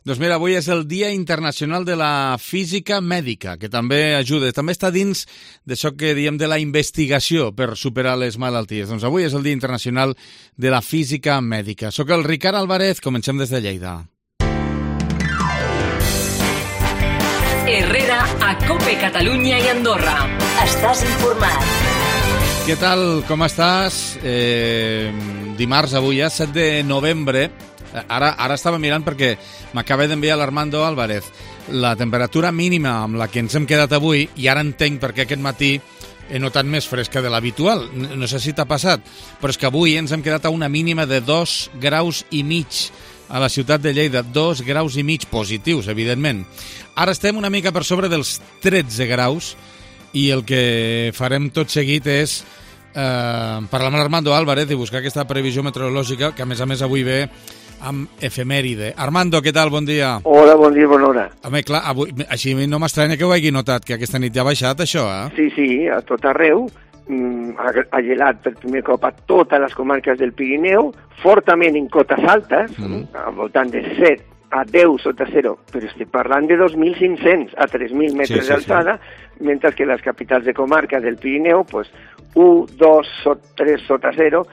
Doncs mira, avui és el Dia Internacional de la Física Mèdica, que també ajuda, també està dins d'això que diem de la investigació per superar les malalties. Doncs avui és el Dia Internacional de la Física Mèdica. Soc el Ricard Álvarez, comencem des de Lleida. Herrera, a COPE Catalunya i Andorra. Estàs informat. Què tal, com estàs? Dimarts, avui ja, 7 de novembre. Ara estava mirant perquè m'acaba d'enviar l'Armando Álvarez la temperatura mínima amb la que ens hem quedat avui i ara entenc perquè aquest matí he notat més fresca de l'habitual. No sé si t'ha passat, però és que avui ens hem quedat a una mínima de 2,5 graus a la ciutat de Lleida. 2,5 graus positius, evidentment. Ara estem una mica per sobre dels 13 graus i el que farem tot seguit és parlar amb l'Armando Álvarez i buscar aquesta previsió meteorològica que a més avui ve amb efemèride. Armando, què tal? Bon dia. Hola, bon dia, bona hora. Home, clar, avui, així no m'estranya que ho hagi notat, que aquesta nit ja ha baixat, això, eh? Sí, a tot arreu. Ha gelat per primer cop a totes les comarques del Pirineu, fortament en cotes altes, al voltant de 7 a 10 sota zero, però estic parlant de 2.500 a 3.000 metres d'alçada, mentre que les capitals de comarca del Pirineu, pues, 1, 2, 3 sota zero,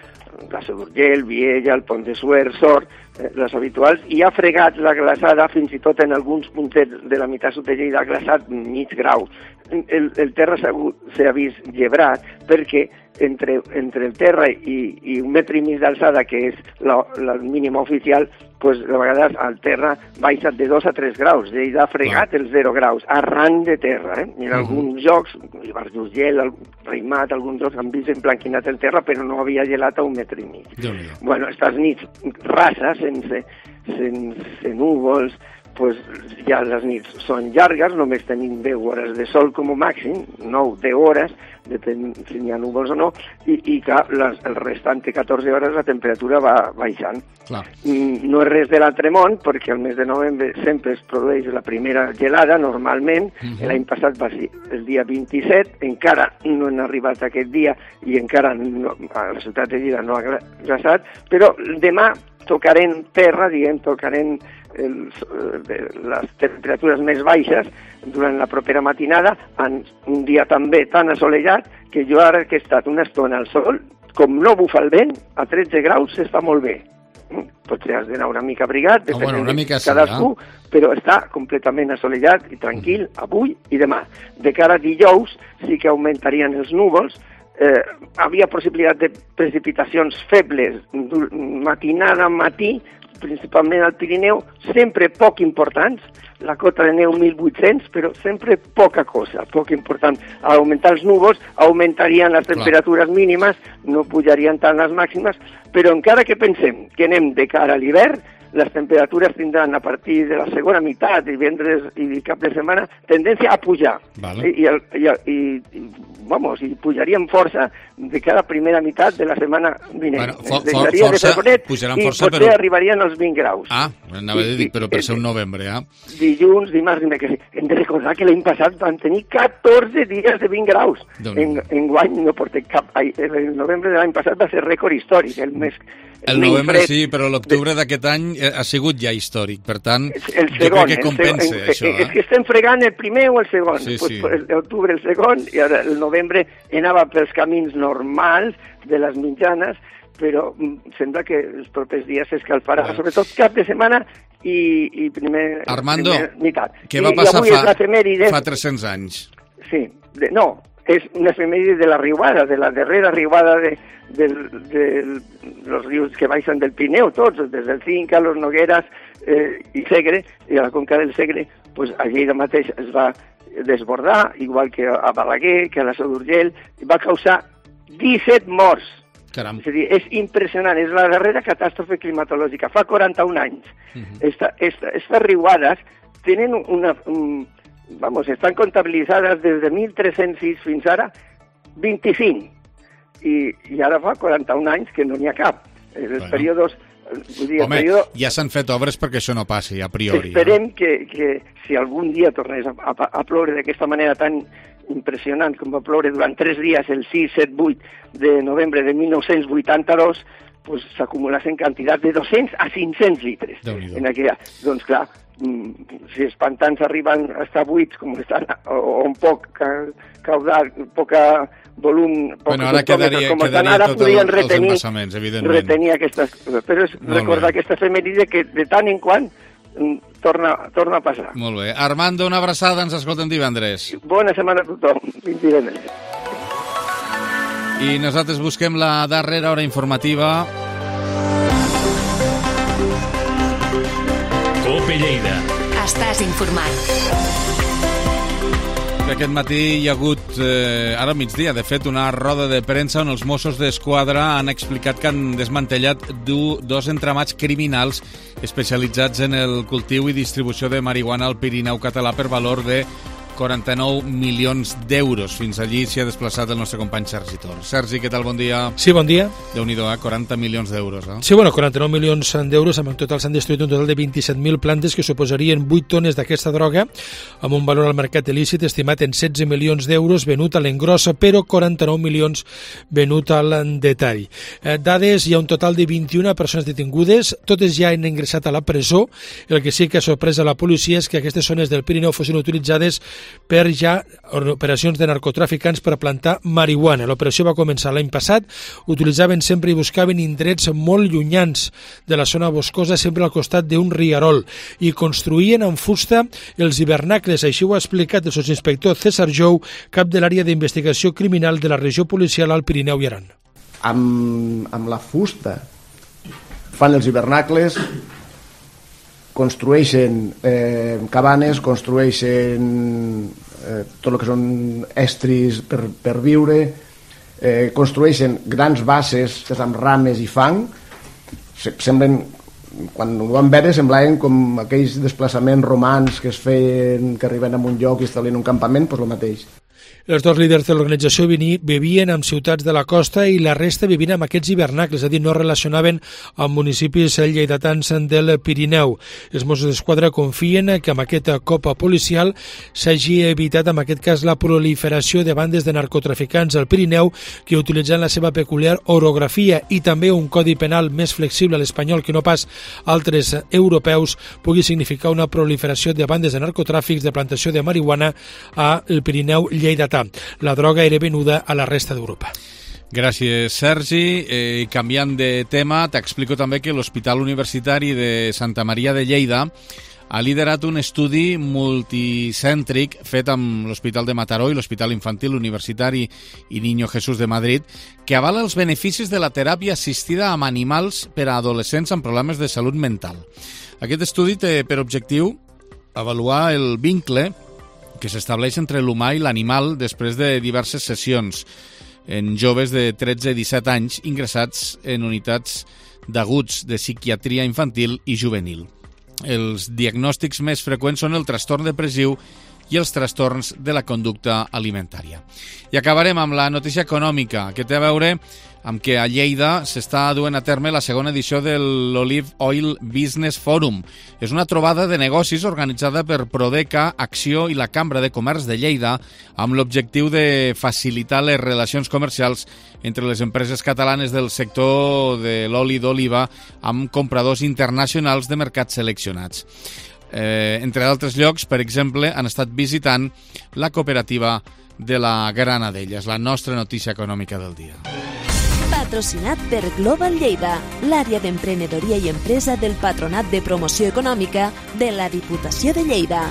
la Seu d'Urgell, Viella, el Pont de Suert, Sort, les habituals, i ha fregat la glaçada, fins i tot en alguns puntets de la meitat sud de Lleida, ha glaçat mig grau. El terra s'ha vist llebrat perquè entre el terra i 1,5 metres d'alçada, que és la mínima oficial, pues, de vegades el terra baixa de 2 a 3 graus. Lleida ha fregat els 0 graus, arran de terra. I en alguns llocs, el Bar d'Urgell, el Raïmat, alguns llocs han vist emblanquinat el terra, però no havia gelat a 1,5 metres. Bueno, estas nits rases, sense núvols, pues ja les nits són llargues, només tenim 10 hores de sol com a màxim, 9-10 hores, depèn si hi ha núvols o no, i clar, el restant de 14 hores la temperatura va baixant. Clar. No és res de l'altre món, perquè el mes de novembre sempre es produeix la primera gelada, normalment. L'any passat va ser el dia 27, encara no han arribat aquest dia i encara a la ciutat de Lleida no ha glaçat, però demà tocarem terra, tocarem les temperatures més baixes durant la propera matinada, en un dia també tan assolellat que jo ara que he estat una estona al sol, com no bufa el vent, a 13 graus s'està molt bé. Potser has d'anar una mica abrigat, depèn de cadascú, però està completament assolellat i tranquil avui i demà. De cara a dijous sí que augmentarien els núvols, havia possibilitat de precipitacions febles matinada, matí, principalment al Pirineu, sempre poc importants, la cota de neu 1.800, però sempre poca cosa, poc important. Al augmentar els núvols, augmentarien les temperatures mínimes, no pujarien tant les màximes, però encara que pensem que anem de cara a l'hivern, les temperatures tindran a partir de la segona meitat, divendres i cap de setmana, tendència a pujar. Vale. I pujarien força de cada primera meitat de la setmana vinent. Pujaran força, i potser arribarien als 20 graus. Anava a dir, però per ser un novembre, Dilluns, dimarts, hem de recordar que l'any passat van tenir 14 dies de 20 graus. Enguany no portem cap... El novembre de l'any passat va ser rècord històric, el novembre sí, però l'octubre d'aquest any ha sigut ja històric, per tant, jo crec que compensa això. És que estem fregant el primer o el segon. L'octubre el segon, i ara el novembre anava pels camins normals de les mitjanes, però sembla que els propers dies s'escalfarà, sobretot cap de setmana i primer meitat. Què va passar fa 300 anys? Sí, no, és una efemèride de la riuada, de la darrera riuada de los rius que baixen del Pirineu, tots, des del Cinca, los Nogueras i Segre, i a la conca del Segre, pues a Lleida mateix es va desbordar, igual que a Balaguer, que a la Seu d'Urgell, i va causar 17 morts. Caram. És a dir, és impressionant, és la darrera catàstrofe climatològica, fa 41 anys. Estas riuades tenen estan comptabilitzades des de 1306 fins ara 25. I ara fa 41 anys que no n'hi ha cap. Els períodes... ja s'han fet obres perquè això no passi, a priori. Esperem que si algun dia tornés a ploure d'aquesta manera tan impressionant com va ploure durant 3 dies, el 6, 7, 8 de novembre de 1982, pues s'acumulasen quantitats de 200 a 500 litres en aquella. Doncs clar, si els pantans arriben a estar buits, com estan, o un poc caudal, poca volum, bueno, ara quedaria tot els embassaments, evidentment. Retenir aquestes coses. Però és recordar aquesta efemèride que de tant en quant torna a passar. Molt bé. Armando, una abraçada, ens escoltem divendres. Bona setmana a tothom. Fins divendres. I nosaltres busquem la darrera hora informativa. Cope Lleida. Estàs informat. Aquest matí hi ha hagut, ara al migdia, de fet, una roda de premsa on els Mossos d'Esquadra han explicat que han desmantellat dos entramats criminals especialitzats en el cultiu i distribució de marihuana al Pirineu català per valor de 49 milions d'euros. Fins allí s'hi ha desplaçat el nostre company Sergi Tor. Sergi, què tal? Bon dia. Sí, bon dia. Déu-n'hi-do, 40 milions d'euros. Sí, bueno, 49 milions d'euros, en total s'han destruït un total de 27.000 plantes que suposarien 8 tones d'aquesta droga, amb un valor al mercat il·lícit estimat en 16 milions d'euros venut a l'engrossa, però 49 milions venut al detall. Dades, hi ha un total de 21 persones detingudes, totes ja han ingressat a la presó. El que sí que ha sorprès a la policia és que aquestes zones del Pirineu fossin utilitzades per ja operacions de narcotraficants per plantar marihuana. L'operació va començar l'any passat, utilitzaven sempre i buscaven indrets molt llunyans de la zona boscosa, sempre al costat d'un rierol, i construïen amb fusta els hivernacles. Així ho ha explicat el sotsinspector César Jou, cap de l'àrea d'investigació criminal de la regió policial al Pirineu i Aran. Amb la fusta fan els hivernacles, construeixen cabanes, construeixen tot el que són estris per viure, construeixen grans bases amb rames i fang. Semblen, quan ho vam veure, semblaven com aquells desplaçaments romans que es feien, que arriben a un lloc i establien un campament, doncs el mateix. Els dos líders de l'organització vivien en ciutats de la costa i la resta vivien amb aquests hivernacles, és a dir, no relacionaven amb municipis lleidatans del Pirineu. Els Mossos d'Esquadra confien que amb aquest cop policial s'hagi evitat, en aquest cas, la proliferació de bandes de narcotraficants al Pirineu que utilitzen la seva peculiar orografia i també un codi penal més flexible a l'espanyol que no pas altres europeus pugui significar una proliferació de bandes de narcotràfics de plantació de marihuana al Pirineu lleidatà. La droga era venuda a la resta d'Europa. Gràcies, Sergi. Canviant de tema, t'explico també que l'Hospital Universitari de Santa Maria de Lleida ha liderat un estudi multicèntric fet amb l'Hospital de Mataró i l'Hospital Infantil Universitari i Niño Jesús de Madrid, que avala els beneficis de la teràpia assistida amb animals per a adolescents amb problemes de salut mental. Aquest estudi té per objectiu avaluar el vincle que s'estableix entre l'humà i l'animal després de diverses sessions en joves de 13 i 17 anys ingressats en unitats d'aguts de psiquiatria infantil i juvenil. Els diagnòstics més freqüents són el trastorn depressiu i els trastorns de la conducta alimentària. I acabarem amb la notícia econòmica, que té a veure amb que a Lleida s'està duent a terme la segona edició de l'Olive Oil Business Forum. És una trobada de negocis organitzada per Prodeca, Acció i la Cambra de Comerç de Lleida amb l'objectiu de facilitar les relacions comercials entre les empreses catalanes del sector de l'oli d'oliva amb compradors internacionals de mercats seleccionats. Entre d'altres llocs, per exemple, han estat visitant la cooperativa de la Granadella. És la nostra notícia econòmica del dia. Patrocinat per Global Lleida, l'àrea d'emprenedoria i empresa del Patronat de Promoció Econòmica de la Diputació de Lleida.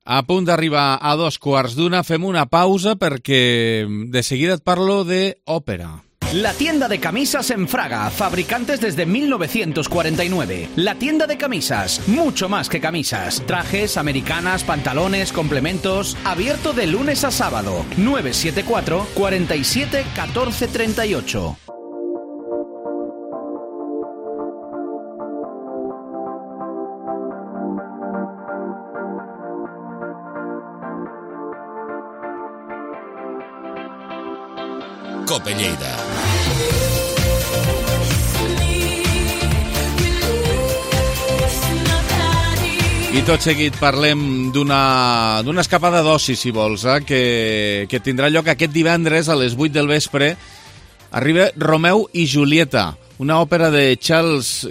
A punt d'arribar a 2:15, fem una pausa perquè de seguida et parlo d'òpera. La tienda de camisas en Fraga, fabricantes desde 1949. La tienda de camisas, mucho más que camisas. Trajes, americanas, pantalones, complementos. Abierto de lunes a sábado. 974 47 14 38. Cope Lleida. I tot seguit parlem d'una escapada d'oci, si vols, que tindrà lloc aquest divendres a les 8 del vespre. Arriba Romeu i Julieta, una òpera de Charles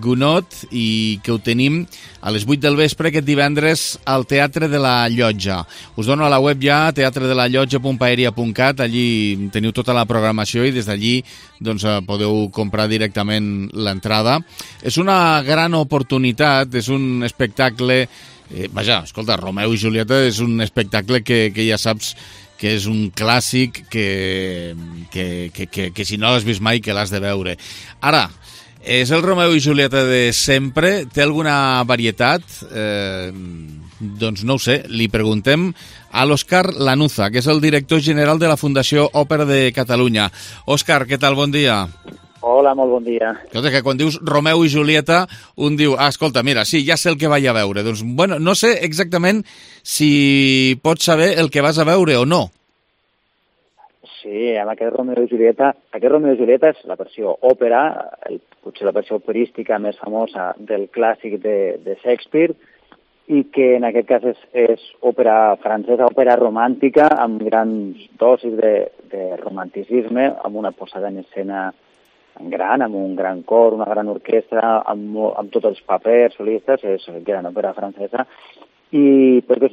Gounod i que ho tenim a les 8 del vespre aquest divendres al Teatre de la Llotja. Us dono a la web ja, teatredelallotja.paeria.cat, allí teniu tota la programació i des d'allí doncs, podeu comprar directament l'entrada. És una gran oportunitat, és un espectacle... vaja, escolta, Romeu i Julieta és un espectacle que ja saps que és un clàssic que si no l'has vist mai que l'has de veure. Ara, és el Romeu i Julieta de sempre? Té alguna varietat? Doncs no ho sé, li preguntem a l'Òscar Lanuza, que és el director general de la Fundació Òpera de Catalunya. Òscar, què tal? Bon dia. Hola, molt bon dia. Escolta, que quan dius Romeu i Julieta, un diu, escolta, mira, sí, ja sé el que vaig a veure. Doncs, bueno, no sé exactament si pots saber el que vas a veure o no. Sí, amb aquest Romeu i Julieta és la versió òpera, potser la versió operística més famosa del clàssic de Shakespeare, i que en aquest cas és òpera francesa, òpera romàntica, amb grans dosis de romanticisme, amb una posada en escena gran, amb un gran cor, una gran orquestra, amb tots els papers solistes, és gran òpera francesa, i perquè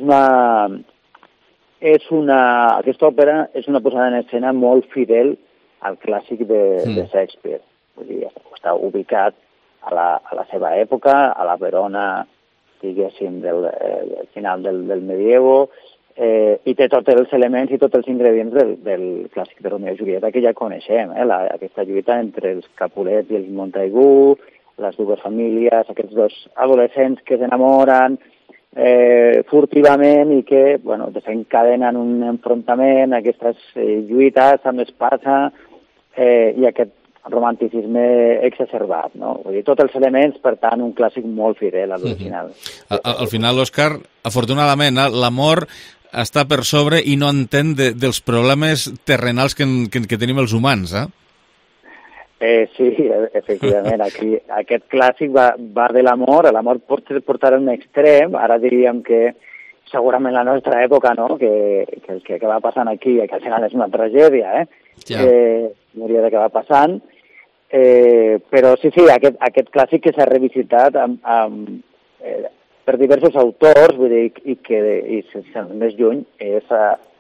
aquesta òpera és una posada en escena molt fidel al clàssic de Shakespeare. Vull dir, està ubicat a la seva època, a la Verona, diguéssim, del final del medievo, i té tots els elements i tots els ingredients del clàssic de Romeu i Julieta que ja coneixem, aquesta lluita entre els Capulets i els Montaigu, les dues famílies, aquests dos adolescents que s'enamoren furtivament i que desencadenen un enfrontament, aquestes lluites amb espasa i aquest romanticisme exacerbat, no? Vull dir, tots els elements, per tant, un clàssic molt fidel a l'original. Al final, Òscar, afortunadament, l'amor està per sobre i no entén dels problemes terrenals que tenim els humans, Sí, efectivament. Aquí, aquest clàssic va de l'amor. L'amor pot portar a un extrem. Ara diríem que segurament la nostra època, no? Que el que va passant aquí, que al final és una tragèdia, hauria d'acabar passant. Però sí, aquest clàssic que s'ha revisitat per diversos autors, vull dir, i més lluny, és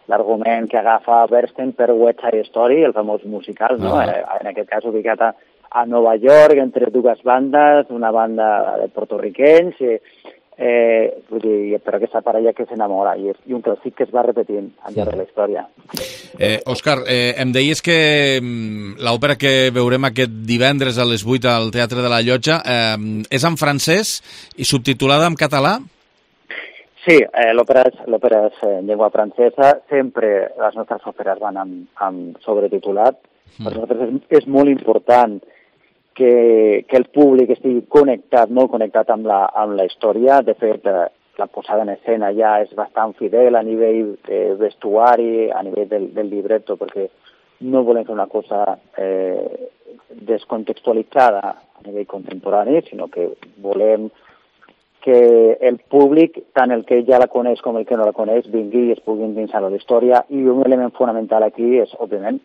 l'argument que agafa Bernstein per West Side Story, el famós musical, no? En aquest cas ubicat a Nova York, entre dues bandes, una banda de porto-riquenys, vull dir, per aquesta parella que s'enamora, i un clàssic que es va repetint al llarg de la història. Òscar, em deies que l'òpera que veurem aquest divendres a les 8 al Teatre de la Llotja és en francès i subtitulada en català? Sí, l'òpera és en llengua francesa. Sempre les nostres òperes van amb sobretitulat. Per nosaltres és molt important que el públic estigui molt connectat amb la història. De fet, la posada en escena ja és bastant fidel a nivell vestuari, a nivell del libretto, perquè no volem fer una cosa descontextualitzada a nivell contemporani, sinó que volem que el públic, tant el que ja la coneix com el que no la coneix, vingui i es pugui endinsar a la història. I un element fonamental aquí és, òbviament,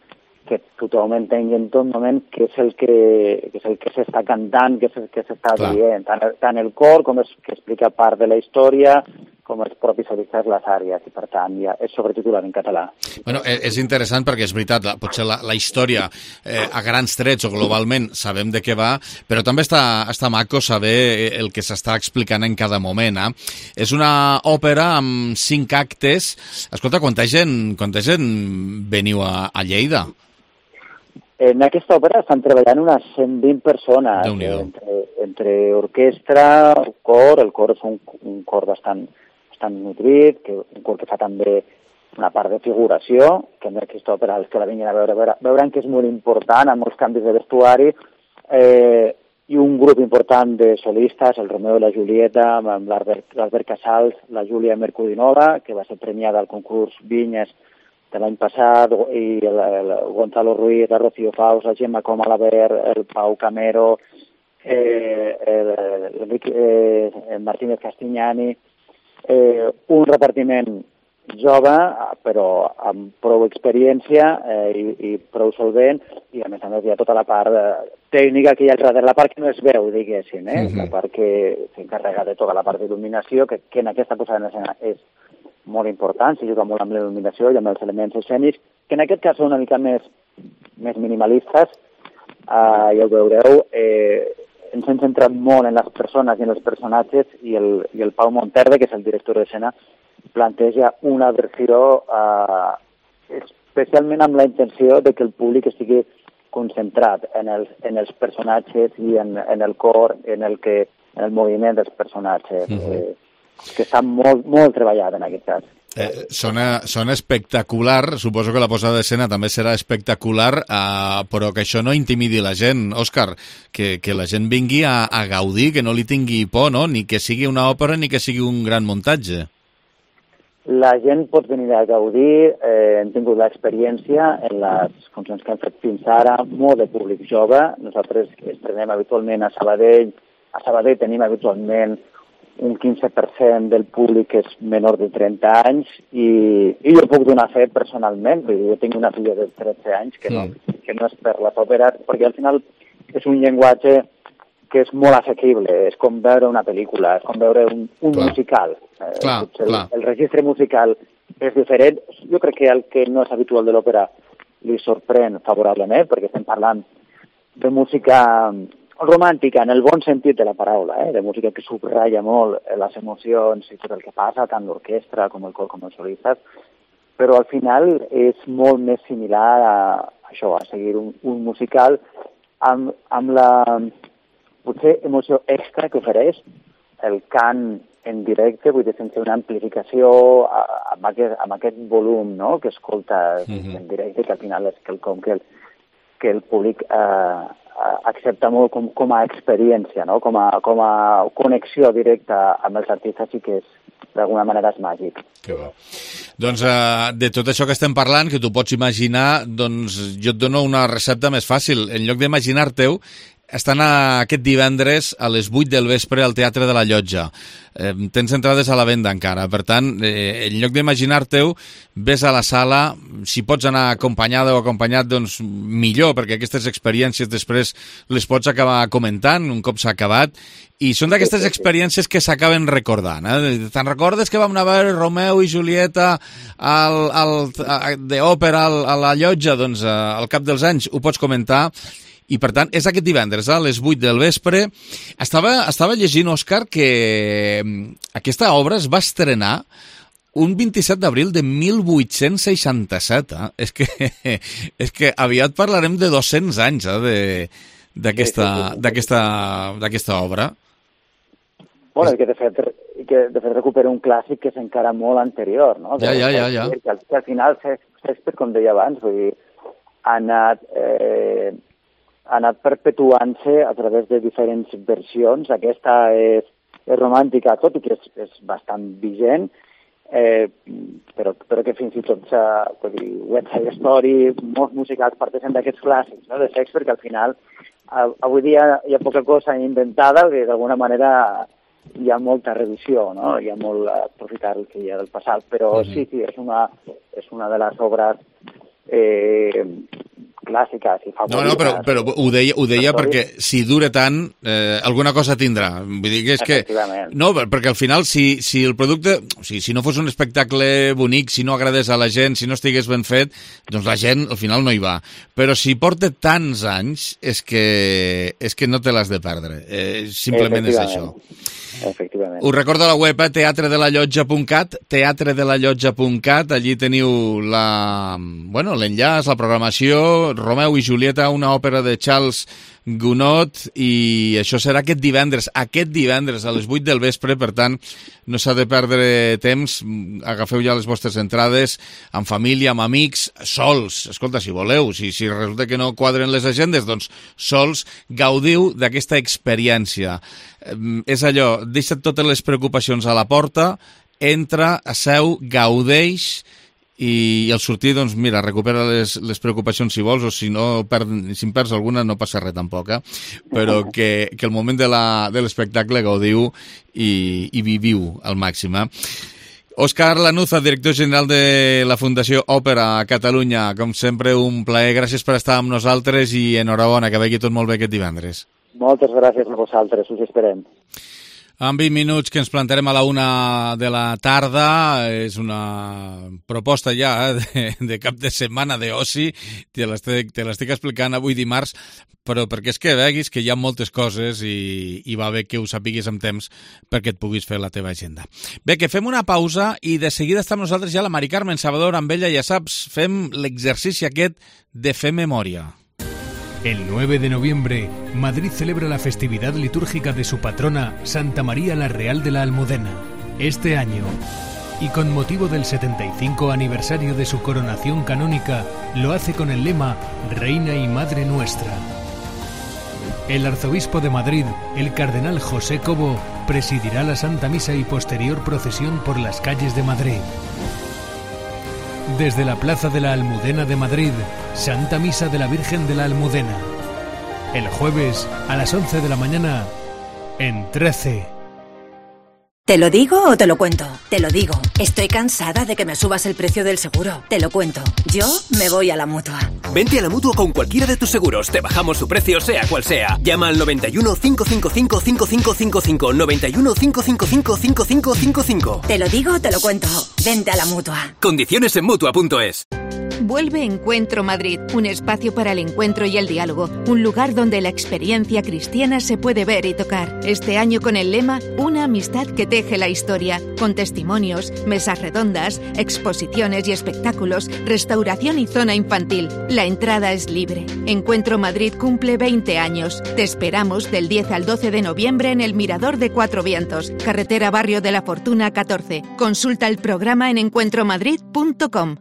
que tothom entengui en tot moment què és el que s'està cantant, què és el que s'està dient. Tant el cor, com és que explica part de la història, com els propis solistes les àrees, i per tant ja és sobretitulat en català. Bueno, és interessant perquè és veritat, potser la història a grans trets o globalment sabem de què va, però també està maco saber el que s'està explicant en cada moment. És una òpera amb 5 actes. Escolta, quanta gent veniu a Lleida? En aquesta òpera estan treballant unes 120 persones, entre orquestra, cor. El cor és un cor bastant nutrit, un cor que fa també una part de figuració, que en aquesta òpera els que la vinguin a veuran que és molt important, amb molts canvis de vestuari, i un grup important de solistes, el Romeu i la Julieta, amb l'Albert Casals, la Júlia Mercudinova, que va ser premiada al concurs Vinyes de l'any passat, i el Gonzalo Ruiz, la Rocío Faus, la Gemma Comalabert, el Pau Camero, el Martínez Castignani, un repartiment jove, però amb prou experiència i prou solvent, i a més hi ha tota la part tècnica que hi ha darrere, la part que no es veu, diguéssim, la part que s'encarrega de tota la part d'il·luminació, que en aquesta posada en escena és molt important, s'hi juga molt amb l'il·luminació i amb els elements escènics, que en aquest cas són una mica més minimalistes, ja ho veureu, ens hem centrat molt en les persones i en els personatges, i el Pau Monterde, que és el director d'escena, planteja una versió especialment amb la intenció de que el públic estigui concentrat en els personatges i en el cor, en el moviment dels personatges, que està molt treballat en aquest cas. Sona espectacular, suposo que la posada d'escena també serà espectacular, però que això no intimidi la gent, Òscar, que la gent vingui a gaudir, que no li tingui por, no? Ni que sigui una òpera ni que sigui un gran muntatge. La gent pot venir a gaudir, hem tingut l'experiència en les funcions que hem fet fins ara, molt de públic jove. Nosaltres estrenem habitualment a Sabadell. A Sabadell tenim habitualment un 15% del públic que és menor de 30 anys i jo puc donar fe personalment, perquè jo tinc una filla de 13 anys que no és per les òperes, perquè al final és un llenguatge que és molt assequible, és com veure una pel·lícula, és com veure un musical. El registre musical és diferent. Jo crec que el que no és habitual de l'òpera li sorprèn favorablement, perquè estem parlant de música romàntica en el bon sentit de la paraula, de música que subratlla molt les emocions i tot el que passa, tant l'orquestra com el cor com els solistes, però al final és molt més similar a això, a seguir un musical amb la potser emoció extra que ofereix el cant en directe, vull dir, sense una amplificació amb aquest volum, no?, que escolta en directe, que al final és quelcom que el públic accepta molt com a experiència, no?, com a connexió directa amb els artistes, i que d'alguna manera és màgic. Que bo. Doncs de tot això que estem parlant, que tu pots imaginar, doncs jo et dono una recepta més fàcil. En lloc d'imaginar-te-ho, estan aquest divendres a les 8 del vespre al Teatre de la Llotja. Tens entrades a la venda encara, per tant, en lloc d'imaginar-te-ho, ves a la sala, si pots anar acompanyada o acompanyat, doncs millor, perquè aquestes experiències després les pots acabar comentant un cop s'ha acabat, i són d'aquestes experiències que s'acaben recordant. Te'n recordes que vam anar a veure Romeu i Julieta d'òpera a la Llotja? Doncs al cap dels anys ho pots comentar. I, per tant, és aquest divendres, a les 8 del vespre. Estava llegint, Òscar, que aquesta obra es va estrenar un 27 d'abril de 1867. És que aviat parlarem de 200 anys d'aquesta obra. Bueno, i que de fet recupera un clàssic que és encara molt anterior, no? Ja. Que al final, Shakespeare, com deia abans, vull dir, ha anat perpetuant-se a través de diferents versions. Aquesta és romàntica, tot i que és bastant vigent, però que fins i tot West Side Story, molts musicals parteixen d'aquests clàssics, no?, de Shakespeare, que al final avui dia hi ha poca cosa inventada, que d'alguna manera hi ha molta revisió, no?, hi ha molt aprofitar el que hi ha del passat, però sí, és una de les obres clàssiques i favorites. No, però ho deia perquè si dura tant, alguna cosa tindrà. Vull dir que és que... No, perquè al final, si el producte... O sigui, si no fos un espectacle bonic, si no agradés a la gent, si no estigués ben fet, doncs la gent al final no hi va. Però si porta tants anys, és que no te l'has de perdre. Simplement és això. Efectivament. Us recordo la web, teatredelallotja.cat, teatredelallotja.cat, allí teniu l'enllaç, la programació, Romeu i Julieta, una òpera de Charles Gounod, i això serà aquest divendres a les 8 del vespre, per tant, no s'ha de perdre temps, agafeu ja les vostres entrades, amb família, amb amics, sols, escolta, si voleu, si resulta que no quadren les agendes, doncs sols, gaudiu d'aquesta experiència. És allò, deixa't totes les preocupacions a la porta, entra, asseu, gaudeix, i al sortir, doncs mira, recupera les preocupacions si vols, o si en perds alguna no passa res tampoc, però que el moment de l'espectacle gaudiu i viviu al màxim. Òscar Lanuza, director general de la Fundació Òpera a Catalunya. Com sempre, un plaer. Gràcies per estar amb nosaltres i enhorabona, que vagi tot molt bé aquest divendres. Moltes gràcies a vosaltres, us esperem. En 20 minuts que ens plantarem a la 1 de la tarda. És una proposta ja de cap de setmana d'oci. Te l'estic explicant avui dimarts, però perquè és que veguis que hi ha moltes coses i va bé que ho sapiguis amb temps perquè et puguis fer la teva agenda. Bé, que fem una pausa i de seguida està amb nosaltres ja la Mari Carmen Salvador. Amb ella, ja saps, fem l'exercici aquest de fer memòria. El 9 de noviembre, Madrid celebra la festividad litúrgica de su patrona, Santa María la Real de la Almudena. Este año, y con motivo del 75 aniversario de su coronación canónica, lo hace con el lema Reina y Madre Nuestra. El arzobispo de Madrid, el cardenal José Cobo, presidirá la Santa Misa y posterior procesión por las calles de Madrid. Desde la Plaza de la Almudena de Madrid, Santa Misa de la Virgen de la Almudena. El jueves a las 11 de la mañana en 13. ¿Te lo digo o te lo cuento? Te lo digo. Estoy cansada de que me subas el precio del seguro. Te lo cuento. Yo me voy a la Mutua. Vente a la Mutua con cualquiera de tus seguros. Te bajamos su precio, sea cual sea. Llama al 91 555 5555. 91 555 5555. Te lo digo o te lo cuento. Vente a la Mutua. Condiciones en Mutua.es. Vuelve Encuentro Madrid, un espacio para el encuentro y el diálogo, un lugar donde la experiencia cristiana se puede ver y tocar. Este año con el lema Una amistad que teje la historia, con testimonios, mesas redondas, exposiciones y espectáculos, restauración y zona infantil. La entrada es libre. Encuentro Madrid cumple 20 años. Te esperamos del 10 al 12 de noviembre en el Mirador de Cuatro Vientos, carretera Barrio de la Fortuna 14. Consulta el programa en encuentromadrid.com.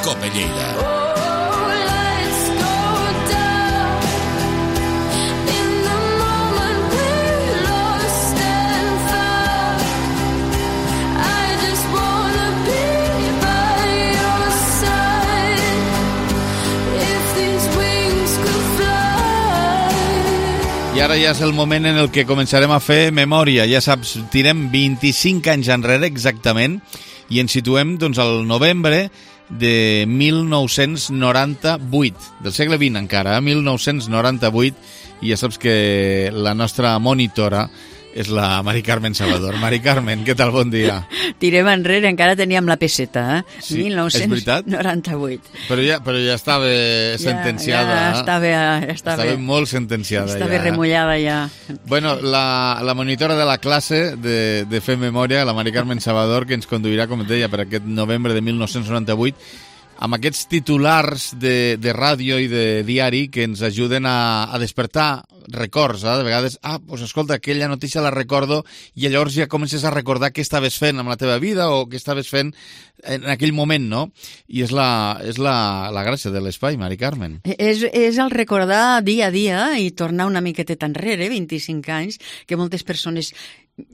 Cope Lleida. I ara ja és el moment en el que començarem a fer memòria. Ja saps, tirem 25 anys enrere exactament i ens situem doncs, al novembre de 1998, del segle XX encara, 1998, i ja saps que la nostra monitora és la Mari Carmen Salvador. Mari Carmen, què tal? Bon dia. Tirem enrere, encara teníem la peseta, Sí, 1998. Però ja estava sentenciada. Ja estava molt sentenciada. Estava remullada ja. Bueno, la monitora de la classe de Fer Memòria, la Mari Carmen Salvador, que ens conduirà, com et deia, per aquest novembre de 1998, amb aquests titulars de ràdio i de diari que ens ajuden a despertar records. De vegades, doncs escolta, aquella notícia la recordo, i llavors ja comences a recordar què estaves fent amb la teva vida o què estaves fent en aquell moment, no? I és la gràcia de l'espai, Mari Carmen. És el recordar dia a dia i tornar una miqueteta enrere, 25 anys, que moltes persones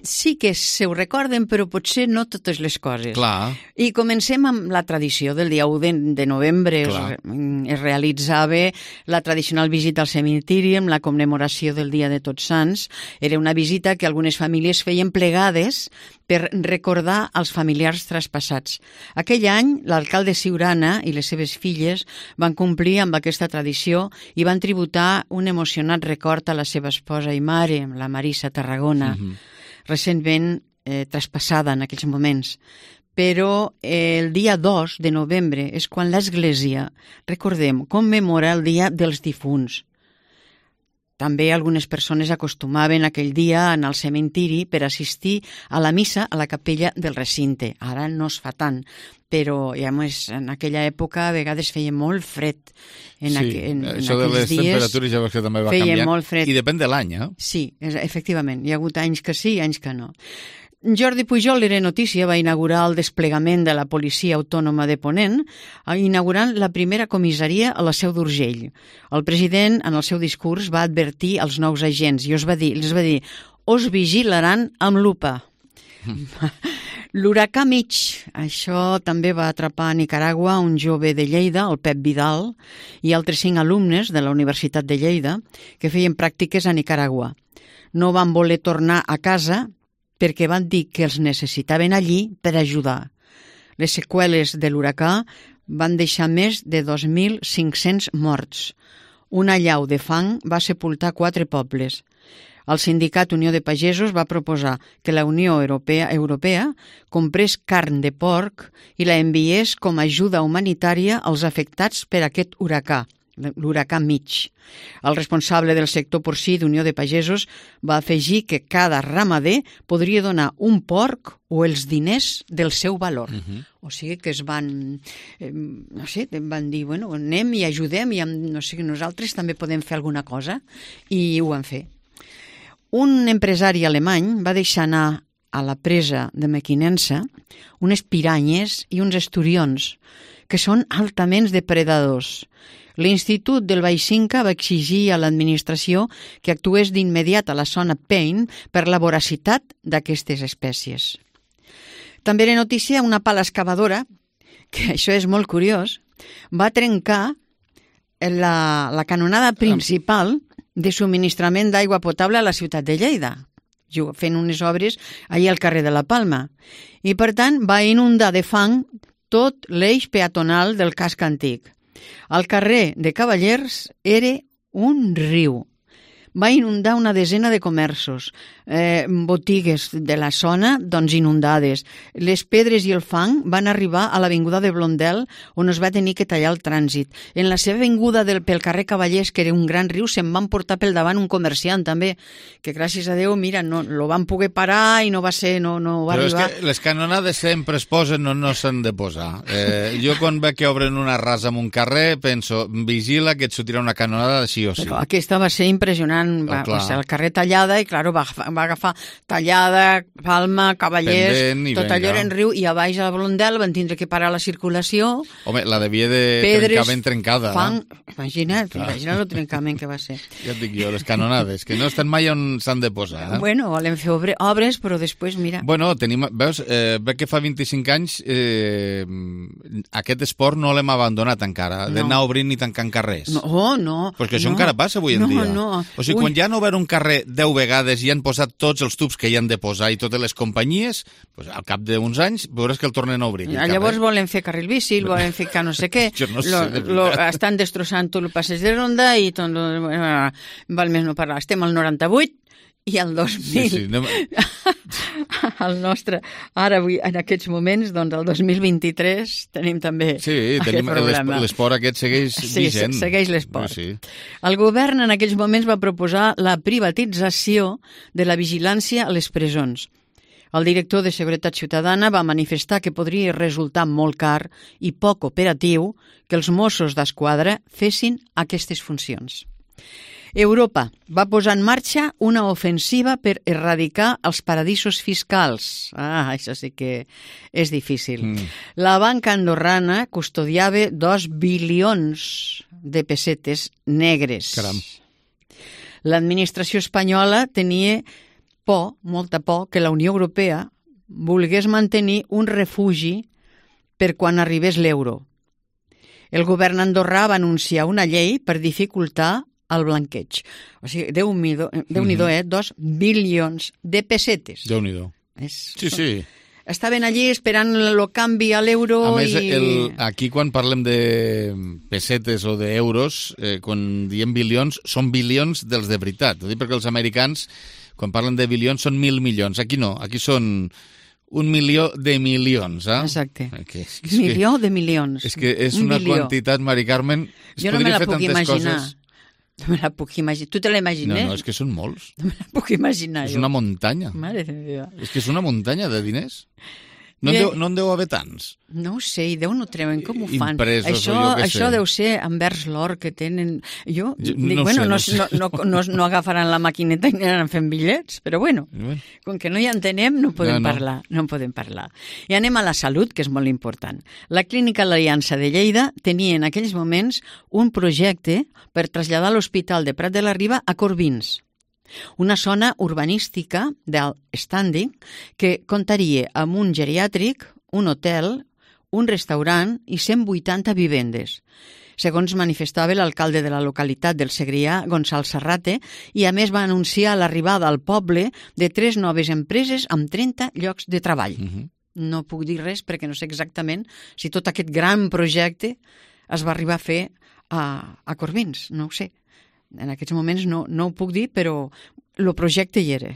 sí que se ho recorden, però potser no totes les coses. Clar. I comencem amb la tradició del dia 1 de novembre. Es realitzava la tradicional visita al cementiri amb la commemoració del Dia de Tots Sants. Era una visita que algunes famílies feien plegades per recordar els familiars traspassats. Aquell any, l'alcalde Siurana i les seves filles van complir amb aquesta tradició i van tributar un emocionat record a la seva esposa i mare, la Marisa Tarragona, recentment traspassada en aquells moments. Però el dia 2 de novembre és quan l'Església, recordem, commemora el Dia dels Difunts. També algunes persones acostumaven aquell dia a anar al cementiri per assistir a la missa a la capella del recinte. Ara no es fa tant, però ja en aquella època a vegades feia molt fred. Això de les temperatures ja veus que també va canviant. Molt fred. I depèn de l'any, eh? Sí, efectivament. Hi ha hagut anys que sí i anys que no. Jordi Pujol, era notícia, va inaugurar el desplegament de la Policia Autònoma de Ponent, inaugurant la primera comissaria a la Seu d'Urgell. El president, en el seu discurs, va advertir als nous agents i els va dir, us vigilaran amb lupa. L'huracà Mitch, això també va atrapar a Nicaragua un jove de Lleida, el Pep Vidal, i altres 5 alumnes de la Universitat de Lleida que feien pràctiques a Nicaragua. No van voler tornar a casa perquè van dir que els necessitaven allí per ajudar. Les seqüeles de l'huracà van deixar més de 2.500 morts. Una allau de fang va sepultar 4 pobles. El sindicat Unió de Pagesos va proposar que la Unió Europea comprés carn de porc i la enviés com a ajuda humanitària als afectats per aquest huracà, l'huracà Mitch. El responsable del sector porcí d'Unió de Pagesos va afegir que cada ramader podria donar un porc o els diners del seu valor. O sigui que es van, van dir, bueno, anem i ajudem i nosaltres també podem fer alguna cosa, i ho van fer. Un empresari alemany va deixar anar a la presa de Mequinensa unes piranyes i uns esturions, que són altament depredadors. L'Institut del Baix Cinca va exigir a l'administració que actués d'immediat a la zona Paine per la voracitat d'aquestes espècies. També era notícia una pala excavadora, que això és molt curiós, va trencar la canonada principal de subministrament d'aigua potable a la ciutat de Lleida, fent unes obres allà al carrer de la Palma. I, per tant, va inundar de fang tot l'eix peatonal del casc antic. El carrer de Cavallers era un riu. Va inundar una desena de comerços, botigues de la zona doncs inundades. Les pedres i el fang van arribar a l'avinguda de Blondel, on es va tenir que tallar el trànsit. En la seva vinguda pel carrer Cavallers, que era un gran riu, se'n van portar pel davant un comerciant també, que gràcies a Déu, mira, no lo van poder parar i no va arribar. Però és que les canonades sempre es posen o no s'han de posar. Jo quan veig que obren una rasa en un carrer penso, vigila que et sortirà una canonada sí o sí. Però aquesta va ser impressionant. Va ser el carrer Tallada i, clar, va agafar Tallada, Palma, Cavallers, tot allò era en riu, i a baix a la Blondel van tindre que parar la circulació. Home, la devia de trencament trencada. Fang, imagina't el trencament que va ser. Ja et dic jo, les canonades, que no estan mai on s'han de posar. Bueno, volen fer obres, però després, mira... Bueno, veus, veig que fa 25 anys aquest esport no l'hem abandonat encara, d'anar obrint i tancant carrers. No. Perquè això encara passa avui en dia. O sigui, quan ja han obert un carrer 10 vegades i han posat tots els tubs que hi han de posar i totes les companyies, doncs al cap d'uns anys veuràs que el tornen a obrir. Llavors volen fer carril bici, volen fer no sé què. Jo no sé, de veritat. Estan destrossant tot el passeig de Ronda i tot... Val més no parlar. Estem al 98 i al 2000. El nostre, ara avui, en aquests moments, doncs el 2023 tenim també aquest problema. L'esport aquest segueix vigent. Sí, segueix l'esport. El govern en aquells moments va proposar la privatització de la vigilància a les presons. El director de Seguretat Ciutadana va manifestar que podria resultar molt car i poc operatiu que els Mossos d'Esquadra fessin aquestes funcions. Europa va posar en marxa una ofensiva per erradicar els paradisos fiscals. Això sí que és difícil. La banca andorrana custodiava 2 bilions de pessetes negres. Caram. L'administració espanyola tenia molta por, que la Unió Europea volgués mantenir un refugi per quan arribés l'euro. El govern andorrà va anunciar una llei per dificultar el blanqueig. O sigui, Déu-n'hi-do, 2 bilions de pessetes. Déu-n'hi-do. Sí. Estaven allí esperant el canvi a l'euro. A més, aquí quan parlem de pessetes o d'euros, quan diem bilions, són bilions dels de veritat. Ho dic perquè els americans, quan parlen de bilions, són 1.000 milions. Aquí no, aquí són 1 milió de milions. Exacte. Milió de milions. És que és una quantitat, Mari Carmen, jo no me la puc imaginar. No me la puc imaginar. Tu te la imagines? No, és que són molts. No me la puc imaginar. És una muntanya. Mare de Déu. És que és una muntanya de diners. No en deu haver tants. No ho sé, i Déu no treuen com ho fan. Impresos, això deu ser envers l'or que tenen. Jo dic, no agafaran la maquineta i aniran fent bitllets, però bueno, com que no hi entenem, no podem parlar. I anem a la salut, que és molt important. La Clínica L'Aliança de Lleida tenia en aquells moments un projecte per traslladar l'Hospital de Prat de la Riba a Corbins. Una zona urbanística d'alt standing que comptaria amb un geriàtric, un hotel, un restaurant i 180 vivendes. Segons manifestava l'alcalde de la localitat del Segrià, Gonçal Serrate, i a més va anunciar l'arribada al poble de 3 noves empreses amb 30 llocs de treball. No puc dir res perquè no sé exactament si tot aquest gran projecte es va arribar a fer a Corbins, no ho sé. En aquests moments no ho puc dir, però el projecte hi era.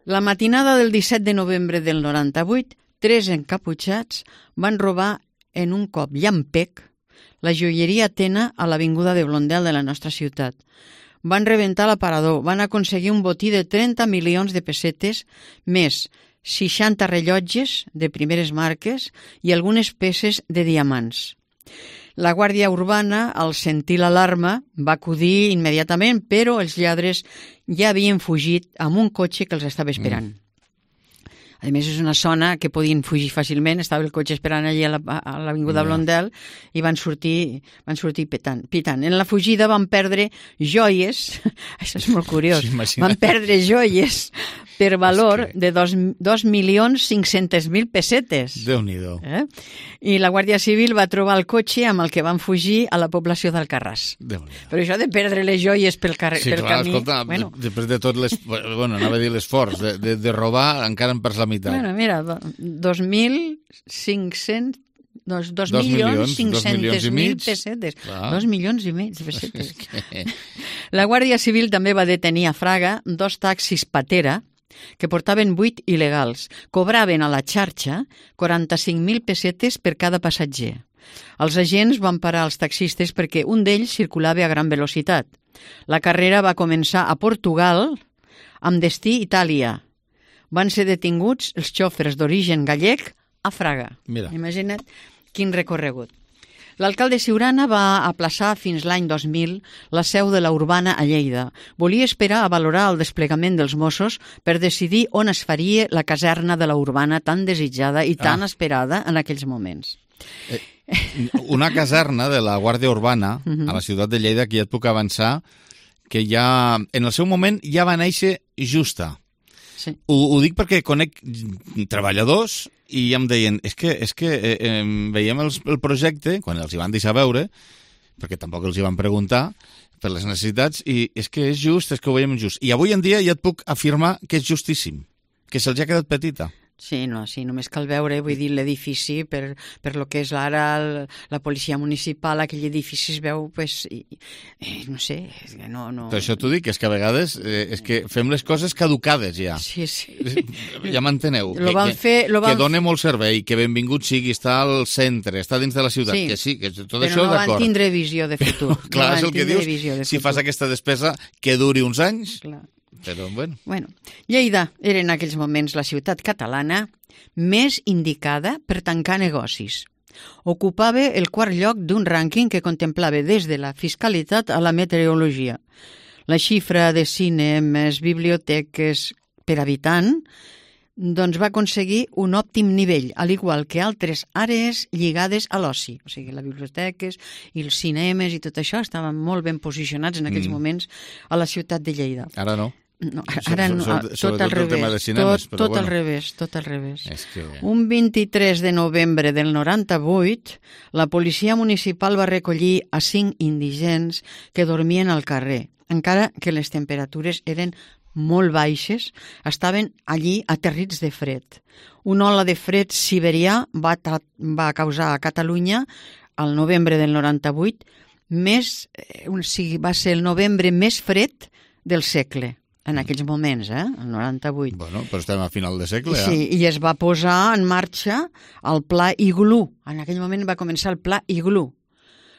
La matinada del 17 de novembre del 98, 3 encaputxats van robar en un cop llampec la joieria Atena a l'avinguda de Blondel de la nostra ciutat. Van rebentar l'aparador, van aconseguir un botí de 30 milions de pessetes, més 60 rellotges de primeres marques i algunes peces de diamants. La Guàrdia Urbana, al sentir l'alarma, va acudir immediatament, però els lladres ja havien fugit amb un cotxe que els estava esperant. A més, és una zona que podien fugir fàcilment, estava el cotxe esperant allí a l'avinguda Blondel i van sortir pitant. En la fugida van perdre joies, això és molt curiós, van perdre joies per valor de 2.500.000 pessetes. Déu-n'hi-do. I la Guàrdia Civil va trobar el cotxe amb el que van fugir a la població d'Alcarràs. Però això de perdre les joies pel camí... Sí, clar, escolta, després de tot anava a dir l'esforç de robar, encara en perds la meitat. Bueno, mira, 2.500.000 pessetes. 2 milions i mig de pessetes. La Guàrdia Civil també va detenir a Fraga 2 taxis Patera que portaven 8 il·legals. Cobraven a la xarxa 45.000 pessetes per cada passatger. Els agents van parar els taxistes perquè un d'ells circulava a gran velocitat. La carrera va començar a Portugal amb destí Itàlia. Van ser detinguts els xòfers d'origen gallec a Fraga. Mira. Imagina't quin recorregut. L'alcalde Ciurana va aplaçar fins l'any 2000 la seu de la Urbana a Lleida. Volia esperar a valorar el desplegament dels Mossos per decidir on es faria la caserna de la Urbana tan desitjada i tan esperada en aquells moments. Una caserna de la Guàrdia Urbana a la ciutat de Lleida, que ja et puc avançar, que ja en el seu moment ja va néixer justa. Sí. Ho dic perquè conec treballadors i ja em deien, és que veiem el projecte, quan els hi van deixar veure, perquè tampoc els hi van preguntar per les necessitats, i és que és just, és que ho veiem just. I avui en dia ja et puc afirmar que és justíssim, que se'ls ha quedat petita. Sí, només cal veure, vull dir, l'edifici, per lo que és ara la policia municipal, aquell edifici es veu, no sé, no... Per això t'ho dic, és que a vegades és que fem les coses caducades ja. Sí. Ja m'enteneu. Que dona molt servei, que benvingut sigui, està al centre, està dins de la ciutat, que sí, que tot això d'acord. Però no van tindre visió de futur. Clar, és el que dius, si fas aquesta despesa que duri uns anys... Clar. Però, bueno. Lleida era en aquells moments la ciutat catalana més indicada per tancar negocis. Ocupava el 4 lloc d'un rànquing que contemplava des de la fiscalitat a la meteorologia. La xifra de cinemes, biblioteques per habitant doncs va aconseguir un òptim nivell, al igual que altres àrees lligades a l'oci. O sigui, les biblioteques i els cinemes i tot això estaven molt ben posicionats en aquells moments a la ciutat de Lleida. Ara no. No, ara no, tot al revés, tot al revés, tot al revés. Un 23 de novembre del 98, la policia municipal va recollir a 5 indigents que dormien al carrer, encara que les temperatures eren molt baixes, estaven allí aterrits de fred. Una ola de fred siberià va causar a Catalunya, al novembre del 98, va ser el novembre més fred del segle. En aquells moments, el 98. Bueno, però estem a final de segle, Sí, i es va posar en marxa el Pla Iglú. En aquell moment va començar el Pla Iglú.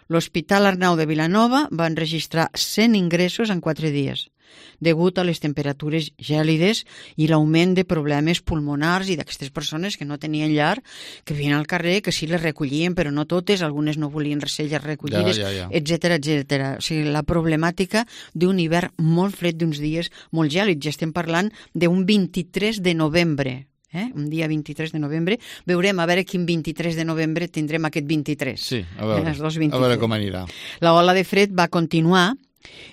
L'Hospital Arnau de Vilanova va enregistrar 100 ingressos en 4 dies, degut a les temperatures gèlides i l'augment de problemes pulmonars i d'aquestes persones que no tenien llar, que vien al carrer, que sí les recollien, però no totes, algunes no volien ser recollides, etcètera, etcètera. O sigui, la problemàtica d'un hivern molt fred, d'uns dies molt gèlids. Ja estem parlant d'un 23 de novembre. Un dia 23 de novembre. Veurem a veure quin 23 de novembre tindrem aquest 23. Sí, a veure com anirà. La ola de fred va continuar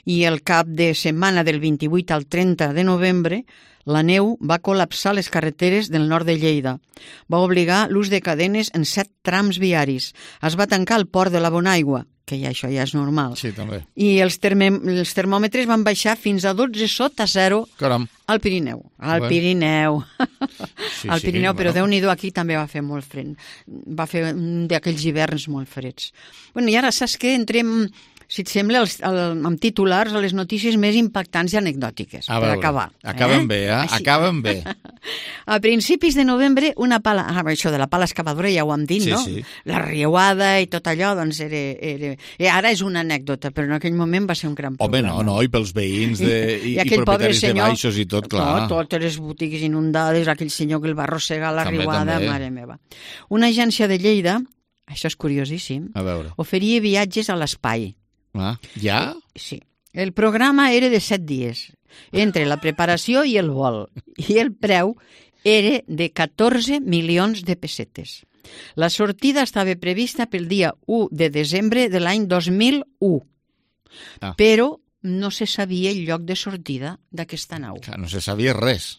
I el cap de setmana del 28 al 30 de novembre, la neu va col·lapsar les carreteres del nord de Lleida. Va obligar l'ús de cadenes en 7 trams viaris. Es va tancar el port de la Bonaigua, que ja això ja és normal. Sí, també. I els termòmetres van baixar fins a 12 sota zero. Caram. Al Pirineu. Al Pirineu. Sí, al Pirineu, sí, però bueno. Déu-n'hi-do, aquí també va fer molt fred. Va fer un d'aquells hiverns molt freds. Bueno, i ara saps què? Entrem, si et sembla, amb titulars a les notícies més impactants i anecdòtiques, per acabar. Acabem bé, eh? Així. Acabem bé. A principis de novembre, una pala... això de la pala excavadora ja ho hem dit, Sí, no? sí. La riuada i tot allò, doncs ara és una anècdota, però en aquell moment va ser un gran Home, problema. no, i pels veïns i aquell pobre propietaris senyor, de baixos i tot, clar. Totes les botigues inundades, aquell senyor que el va arrossegar a la També, riuada, també. mare meva. Una agència de Lleida, això és curiosíssim, A veure. oferia viatges a l'espai. Ah, ja? Sí. El programa era de 7 dies, entre la preparació i el vol, i el preu era de 14 milions de pessetes. La sortida estava prevista pel dia 1 de desembre de l'any 2001, però no se sabia el lloc de sortida d'aquesta nau. Clar, no se sabia res.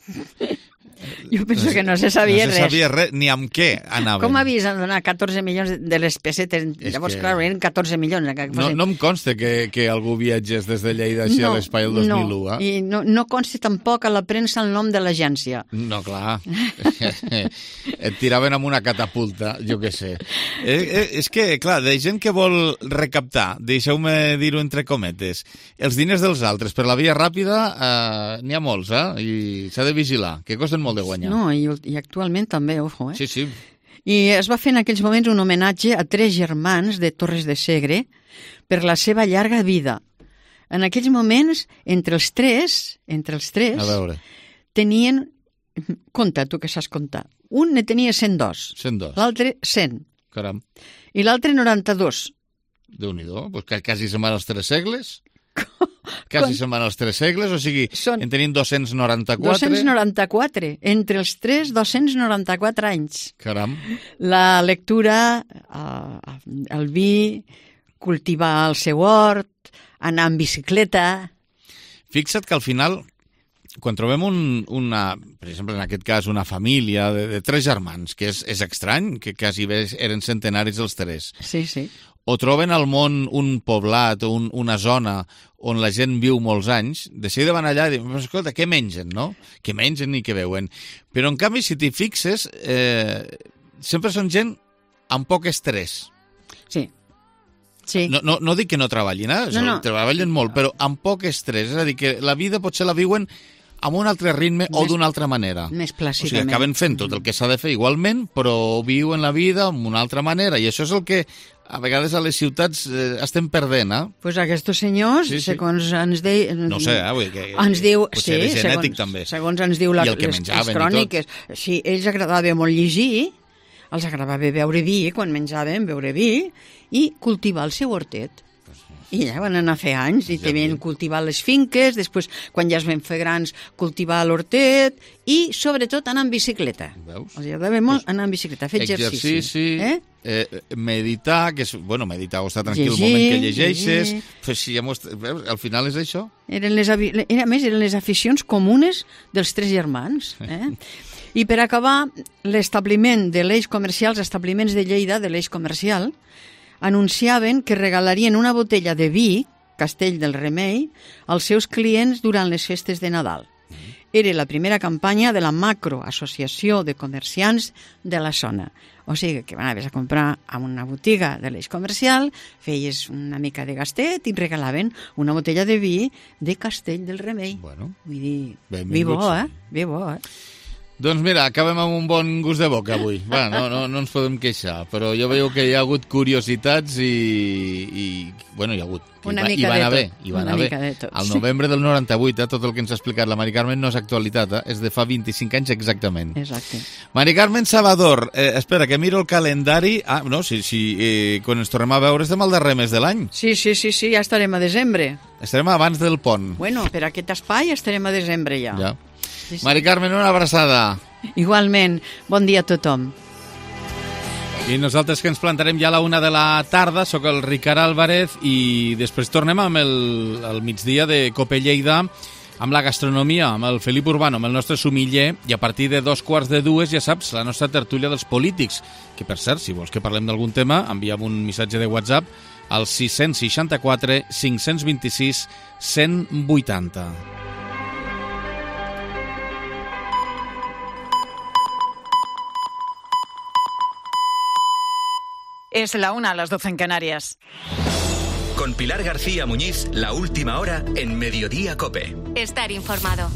Jo penso que no se sabia res. No se sabia res, ni amb què anaven. Com havies de donar 14 milions de les pessetes? Llavors, clar, eren 14 milions. No em consta que algú viatgés des de Lleida així a l'espai el 2001, eh? I no consta tampoc a la premsa el nom de l'agència. No, clar. Et tiraven amb una catapulta, jo què sé. És que, clar, de gent que vol recaptar, deixeu-me dir-ho entre cometes, els diners dels altres per la via ràpida n'hi ha molts, I s'ha de vigilar, que costen molt de guanyar. No, i actualment també, ojo, Sí, sí. I es va fer en aquells moments un homenatge a 3 germans de Torres de Segre per la seva llarga vida. En aquells moments, entre els tres, A veure. tenien... Compta, tu que saps comptar. Un ne tenia 102. 102. L'altre, 100. Caram. I l'altre, 92. Déu-n'hi-do, pues quasi se'n van els 3 segles. Quasi se'n van els 3 segles, o sigui, en tenim 294. 294. Entre els 3, 294 anys. Caram. La lectura, el vi, cultivar el seu hort, anar amb bicicleta... Fixa't que al final, quan trobem per exemple, en aquest cas, una família de 3 germans, que és estrany, que quasi bé eren centenaris els 3. Sí, sí. O troben al món un poblat o una zona on la gent viu molts anys, de seguida van allà i diuen, escolta, què mengen, no? Què mengen i què veuen? Però, en canvi, si t'hi fixes, sempre són gent amb poc estrès. Sí. Sí. No dic que no treballin, treballen molt, però amb poc estrès. És a dir, que la vida potser la viuen amb un altre ritme o d'una altra manera. Més O sigui, plàcidament. acaben fent tot el que s'ha de fer igualment, però viuen la vida amb una altra manera. I això és el que a vegades a les ciutats estem perdent, Pues aquests senyors, segons ens deien... No sé, vull dir que ens diu, potser era genètic, també. Segons ens diu I el que les menjaven cròniques. Sí, ells agradava molt llegir, els agradava beure vi, quan menjaven, beure vi, i cultivar el seu hortet. I ja van anar a fer anys, i també cultivar les finques, després, quan ja es van fer grans, cultivar l'hortet, i sobretot anar en bicicleta. Els agradava molt anar en bicicleta, fer exercici. Meditar, que és, meditar o estar tranquil el moment que llegeixes, al final és això. A més, eren les aficions comunes dels 3 germans. I per acabar, l'establiment de l'eix comercial, els establiments de Lleida, de l'eix comercial, anunciaven que regalarien una botella de vi, Castell del Remei, als seus clients durant les festes de Nadal. Era la primera campanya de la macroassociació de comerciants de la zona. O sigui que anaves a comprar a una botiga de l'eix comercial, feies una mica de gastet i regalaven una botella de vi de Castell del Remei. Bueno, vull dir, vi bo, Vi bo, Doncs mira, acabem amb un bon gust de boca avui. No ens podem queixar, però jo veieu que hi ha hagut curiositats i hi ha hagut. Una mica de tot. Al novembre del 98, tot el que ens ha explicat la Mari Carmen no és actualitat, és de fa 25 anys exactament. Exacte. Mari Carmen Salvador, espera, que miro el calendari. Quan ens tornem a veure estem al darrer mes de l'any. Sí, ja estarem a desembre. Estarem abans del pont. Bueno, per aquest espai estarem a desembre ja. Mari Carmen, una abraçada. Igualment. Bon dia a tothom. I nosaltres que ens plantarem ja a la 1 de la tarda, sóc el Ricard Álvarez i després tornem amb el migdia de Cope Lleida, amb la gastronomia, amb el Felip Urbano, amb el nostre sumiller, i a partir de 2:45, ja saps, la nostra tertúlia dels polítics, que per cert, si vols que parlem d'algun tema, envia'm un missatge de WhatsApp al 664 526 180. Es la 1 a las 12 en Canarias. Con Pilar García Muñiz, la última hora en Mediodía COPE. Estar informado.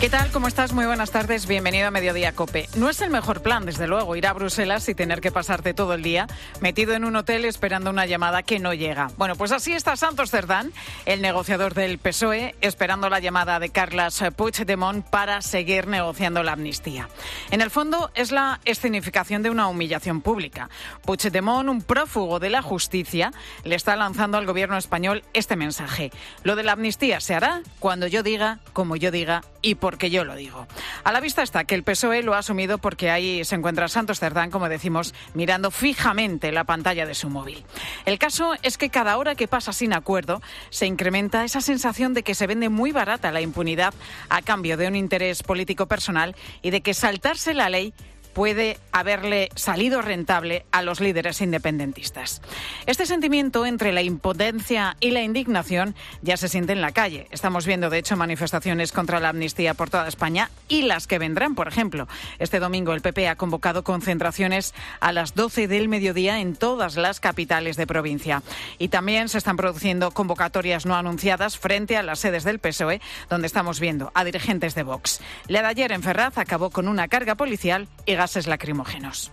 ¿Qué tal? ¿Cómo estás? Muy buenas tardes. Bienvenido a Mediodía COPE. No es el mejor plan, desde luego, ir a Bruselas y tener que pasarte todo el día metido en un hotel esperando una llamada que no llega. Bueno, pues así está Santos Cerdán, el negociador del PSOE, esperando la llamada de Carles Puigdemont para seguir negociando la amnistía. En el fondo, es la escenificación de una humillación pública. Puigdemont, un prófugo de la justicia, le está lanzando al gobierno español este mensaje. Lo de la amnistía se hará cuando yo diga, como yo diga y porque yo lo digo. A la vista está que el PSOE lo ha asumido porque ahí se encuentra Santos Cerdán, como decimos, mirando fijamente la pantalla de su móvil. El caso es que cada hora que pasa sin acuerdo se incrementa esa sensación de que se vende muy barata la impunidad a cambio de un interés político personal y de que saltarse la ley puede haberle salido rentable a los líderes independentistas. Este sentimiento entre la impotencia y la indignación ya se siente en la calle. Estamos viendo, de hecho, manifestaciones contra la amnistía por toda España y las que vendrán, por ejemplo. Este domingo el PP ha convocado concentraciones a las 12 del mediodía en todas las capitales de provincia. Y también se están produciendo convocatorias no anunciadas frente a las sedes del PSOE, donde estamos viendo a dirigentes de Vox. La de ayer en Ferraz acabó con una carga policial y gases lacrimógenos.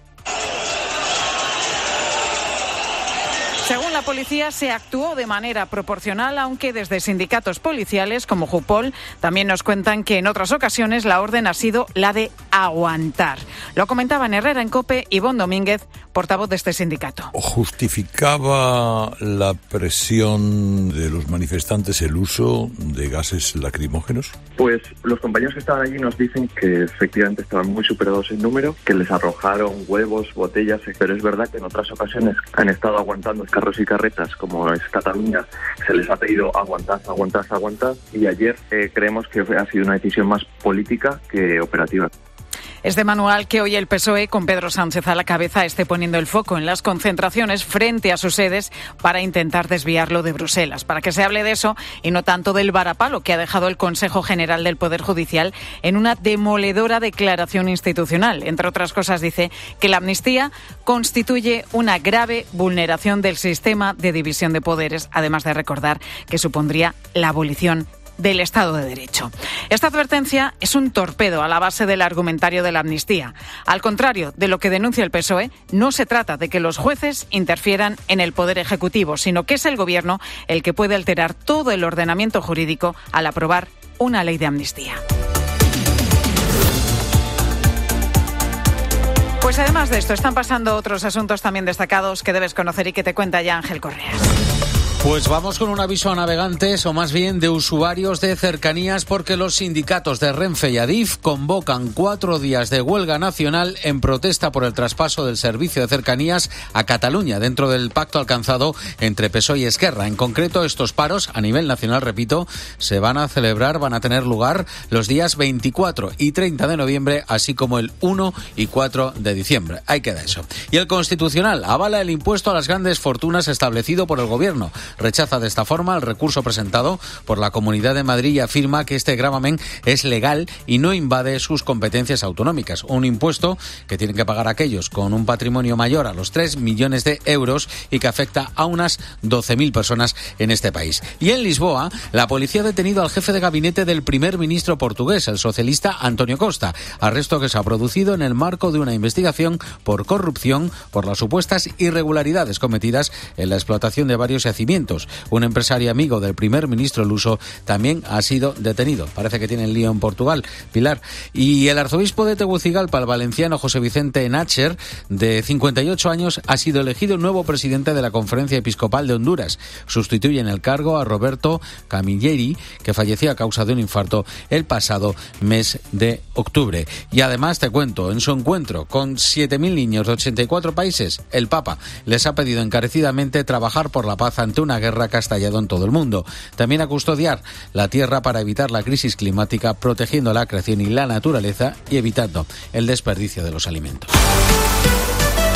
Según la policía, se actuó de manera proporcional, aunque desde sindicatos policiales como Jupol también nos cuentan que en otras ocasiones la orden ha sido la de aguantar. Lo comentaba en Herrera en COPE Ivonne Domínguez, portavoz de este sindicato. ¿Justificaba la presión de los manifestantes el uso de gases lacrimógenos? Pues los compañeros que estaban allí nos dicen que efectivamente estaban muy superados en número, que les arrojaron huevos, botellas, pero es verdad que en otras ocasiones han estado aguantando carros y carretas, como es Cataluña, se les ha pedido aguantad, y ayer creemos que ha sido una decisión más política que operativa. Es de manual que hoy el PSOE, con Pedro Sánchez a la cabeza, esté poniendo el foco en las concentraciones frente a sus sedes para intentar desviarlo de Bruselas, para que se hable de eso y no tanto del varapalo que ha dejado el Consejo General del Poder Judicial en una demoledora declaración institucional. Entre otras cosas, dice que la amnistía constituye una grave vulneración del sistema de división de poderes, además de recordar que supondría la abolición del Estado de Derecho. Esta advertencia es un torpedo a la base del argumentario de la amnistía. Al contrario de lo que denuncia el PSOE, no se trata de que los jueces interfieran en el Poder Ejecutivo, sino que es el Gobierno el que puede alterar todo el ordenamiento jurídico al aprobar una ley de amnistía. Pues además de esto, están pasando otros asuntos también destacados que debes conocer y que te cuenta ya Ángel Correas. Pues vamos con un aviso a navegantes, o más bien de usuarios de cercanías, porque los sindicatos de Renfe y Adif convocan 4 días de huelga nacional en protesta por el traspaso del servicio de cercanías a Cataluña, dentro del pacto alcanzado entre PSOE y Esquerra. En concreto, estos paros, a nivel nacional, repito, van a tener lugar los días 24 y 30 de noviembre, así como el 1 y 4 de diciembre. Ahí queda eso. Y el Constitucional avala el impuesto a las grandes fortunas establecido por el Gobierno. Rechaza de esta forma el recurso presentado por la Comunidad de Madrid y afirma que este gravamen es legal y no invade sus competencias autonómicas. Un impuesto que tienen que pagar aquellos con un patrimonio mayor a los 3 millones de euros y que afecta a unas 12.000 personas en este país. Y en Lisboa, la policía ha detenido al jefe de gabinete del primer ministro portugués, el socialista António Costa, arresto que se ha producido en el marco de una investigación por corrupción por las supuestas irregularidades cometidas en la explotación de varios yacimientos alimentos. Un empresario amigo del primer ministro luso también ha sido detenido. Parece que tienen lío en Portugal, Pilar. Y el arzobispo de Tegucigalpa, el valenciano José Vicente Nácher, de 58 años, ha sido elegido nuevo presidente de la Conferencia Episcopal de Honduras. Sustituye en el cargo a Roberto Camilleri, que falleció a causa de un infarto el pasado mes de octubre. Y además te cuento, en su encuentro con 7.000 niños de 84 países, el Papa les ha pedido encarecidamente trabajar por la paz ante una guerra que ha estallado en todo el mundo. También a custodiar la tierra para evitar la crisis climática, protegiendo la creación y la naturaleza y evitando el desperdicio de los alimentos.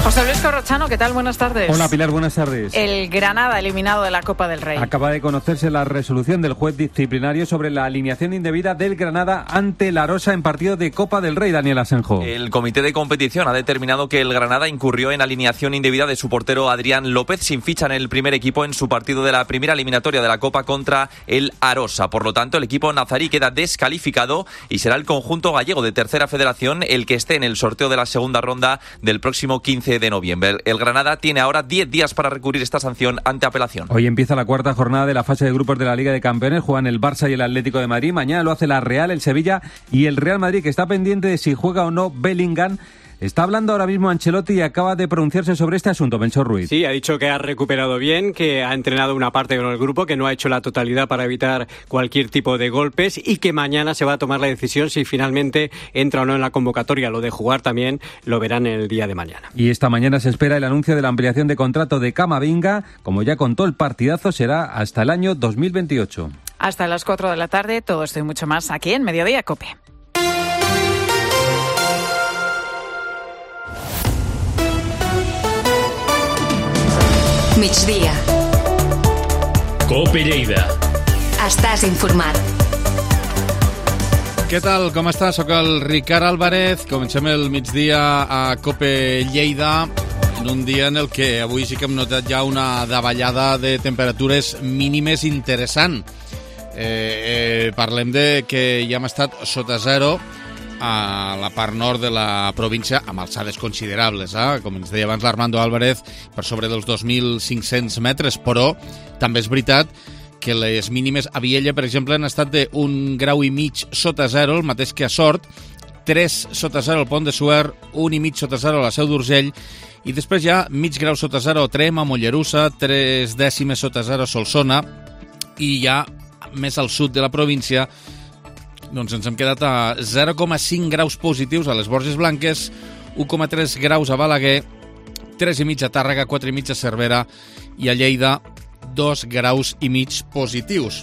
José Luis Corrochano, ¿qué tal? Buenas tardes. Hola Pilar, buenas tardes. El Granada eliminado de la Copa del Rey. Acaba de conocerse la resolución del juez disciplinario sobre la alineación indebida del Granada ante la Arosa en partido de Copa del Rey, Daniel Asenjo. El comité de competición ha determinado que el Granada incurrió en alineación indebida de su portero Adrián López sin ficha en el primer equipo en su partido de la primera eliminatoria de la Copa contra el Arosa. Por lo tanto, el equipo nazarí queda descalificado y será el conjunto gallego de Tercera Federación el que esté en el sorteo de la segunda ronda del próximo 15 de noviembre. El Granada tiene ahora 10 días para recurrir esta sanción ante apelación. Hoy empieza la cuarta jornada de la fase de grupos de la Liga de Campeones. Juegan el Barça y el Atlético de Madrid. Mañana lo hace la Real, el Sevilla y el Real Madrid, que está pendiente de si juega o no Bellingham. Está hablando ahora mismo Ancelotti y acaba de pronunciarse sobre este asunto, Benson Ruiz. Sí, ha dicho que ha recuperado bien, que ha entrenado una parte con el grupo, que no ha hecho la totalidad para evitar cualquier tipo de golpes y que mañana se va a tomar la decisión si finalmente entra o no en la convocatoria. Lo de jugar también lo verán en el día de mañana. Y esta mañana se espera el anuncio de la ampliación de contrato de Camavinga. Como ya contó, el partidazo será hasta el año 2028. Hasta las 4 de la tarde, todo esto y mucho más aquí en Mediodía COPE. Migdia. COPE Lleida. Estàs informat. Què tal? Com estàs? Soc el Ricard Álvarez. Comencem el migdia a COPE Lleida en un dia en el que avui sí que hem notat ja una davallada de temperatures mínimes interessant. Parlem de que ja hem estat sota zero a la part nord de la província, amb alçades considerables, com ens deia abans l'Armando Álvarez, per sobre dels 2.500 metres, però també és veritat que les mínimes a Viella, per exemple, han estat d'1,5 graus sota zero, el mateix que a Sort, 3 sota zero al Pont de Suert, 1,5 sota zero a la Seu d'Urgell, i després ja mig grau sota zero a Trem, a Mollerussa, 3 dècimes sota zero a Solsona, i ja més al sud de la província doncs ens hem quedat a 0,5 graus positius a les Borges Blanques, 1,3 graus a Balaguer, 3,5 a Tàrrega, 4,5 a Cervera i a Lleida 2,5 graus positius.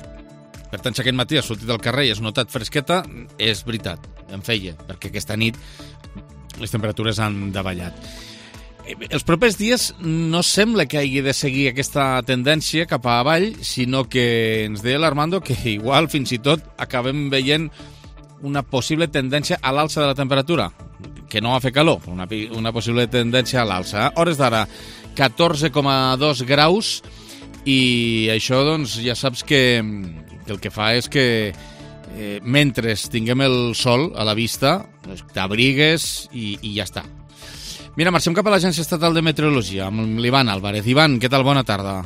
Per tant, si aquest matí has sortit al carrer i has notat fresqueta, és veritat, en feia, perquè aquesta nit les temperatures han davallat. Els propers dies no sembla que hagi de seguir aquesta tendència cap a avall, sinó que ens deia l'Armando que igual fins i tot acabem veient una possible tendència a l'alça de la temperatura, que no va fer calor, una possible tendència a l'alça. Hores d'ara, 14,2 graus, i això doncs ja saps que el que fa és que mentre tinguem el sol a la vista, t'abrigues i ja està. Mira, marxem cap a l'Agència Estatal de Meteorologia amb l'Ivan Álvarez. Ivan, què tal? Bona tarda.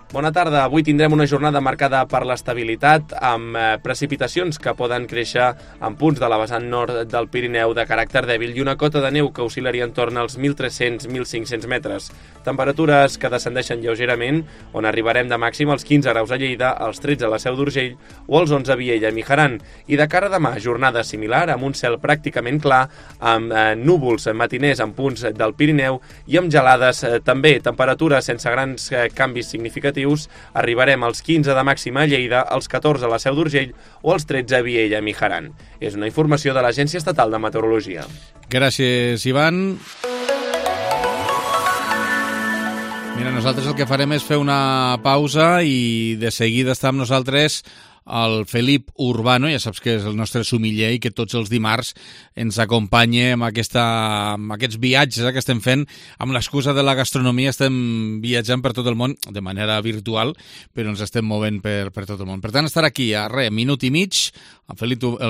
Bona tarda. Avui tindrem una jornada marcada per l'estabilitat, amb precipitacions que poden créixer en punts de la vessant nord del Pirineu de caràcter dèbil i una cota de neu que oscil·laria entorn als 1.300-1.500 metres. Temperatures que descendeixen lleugerament, on arribarem de màxim als 15 graus a Lleida, als 13 a la Seu d'Urgell o als 11 a Viella i Mijaran. I de cara a demà, jornada similar, amb un cel pràcticament clar, amb núvols matiners en punts del Pirineu i amb gelades també. Temperatures sense grans canvis significatius. Arribarem als 15 de màxima a Lleida, als 14 a la Seu d'Urgell o als 13 a Viella i Mijaran. És una informació de l'Agència Estatal de Meteorologia. Gràcies, Ivan. Mira, nosaltres el que farem és fer una pausa i de seguida està amb nosaltres el Felip Urbano, ja saps que és el nostre sumiller i que tots els dimarts ens acompanya amb aquests viatges que estem fent. Amb l'excusa de la gastronomia estem viatjant per tot el món, de manera virtual, però ens estem movent per tot el món. Per tant, estar aquí a minut i mig, el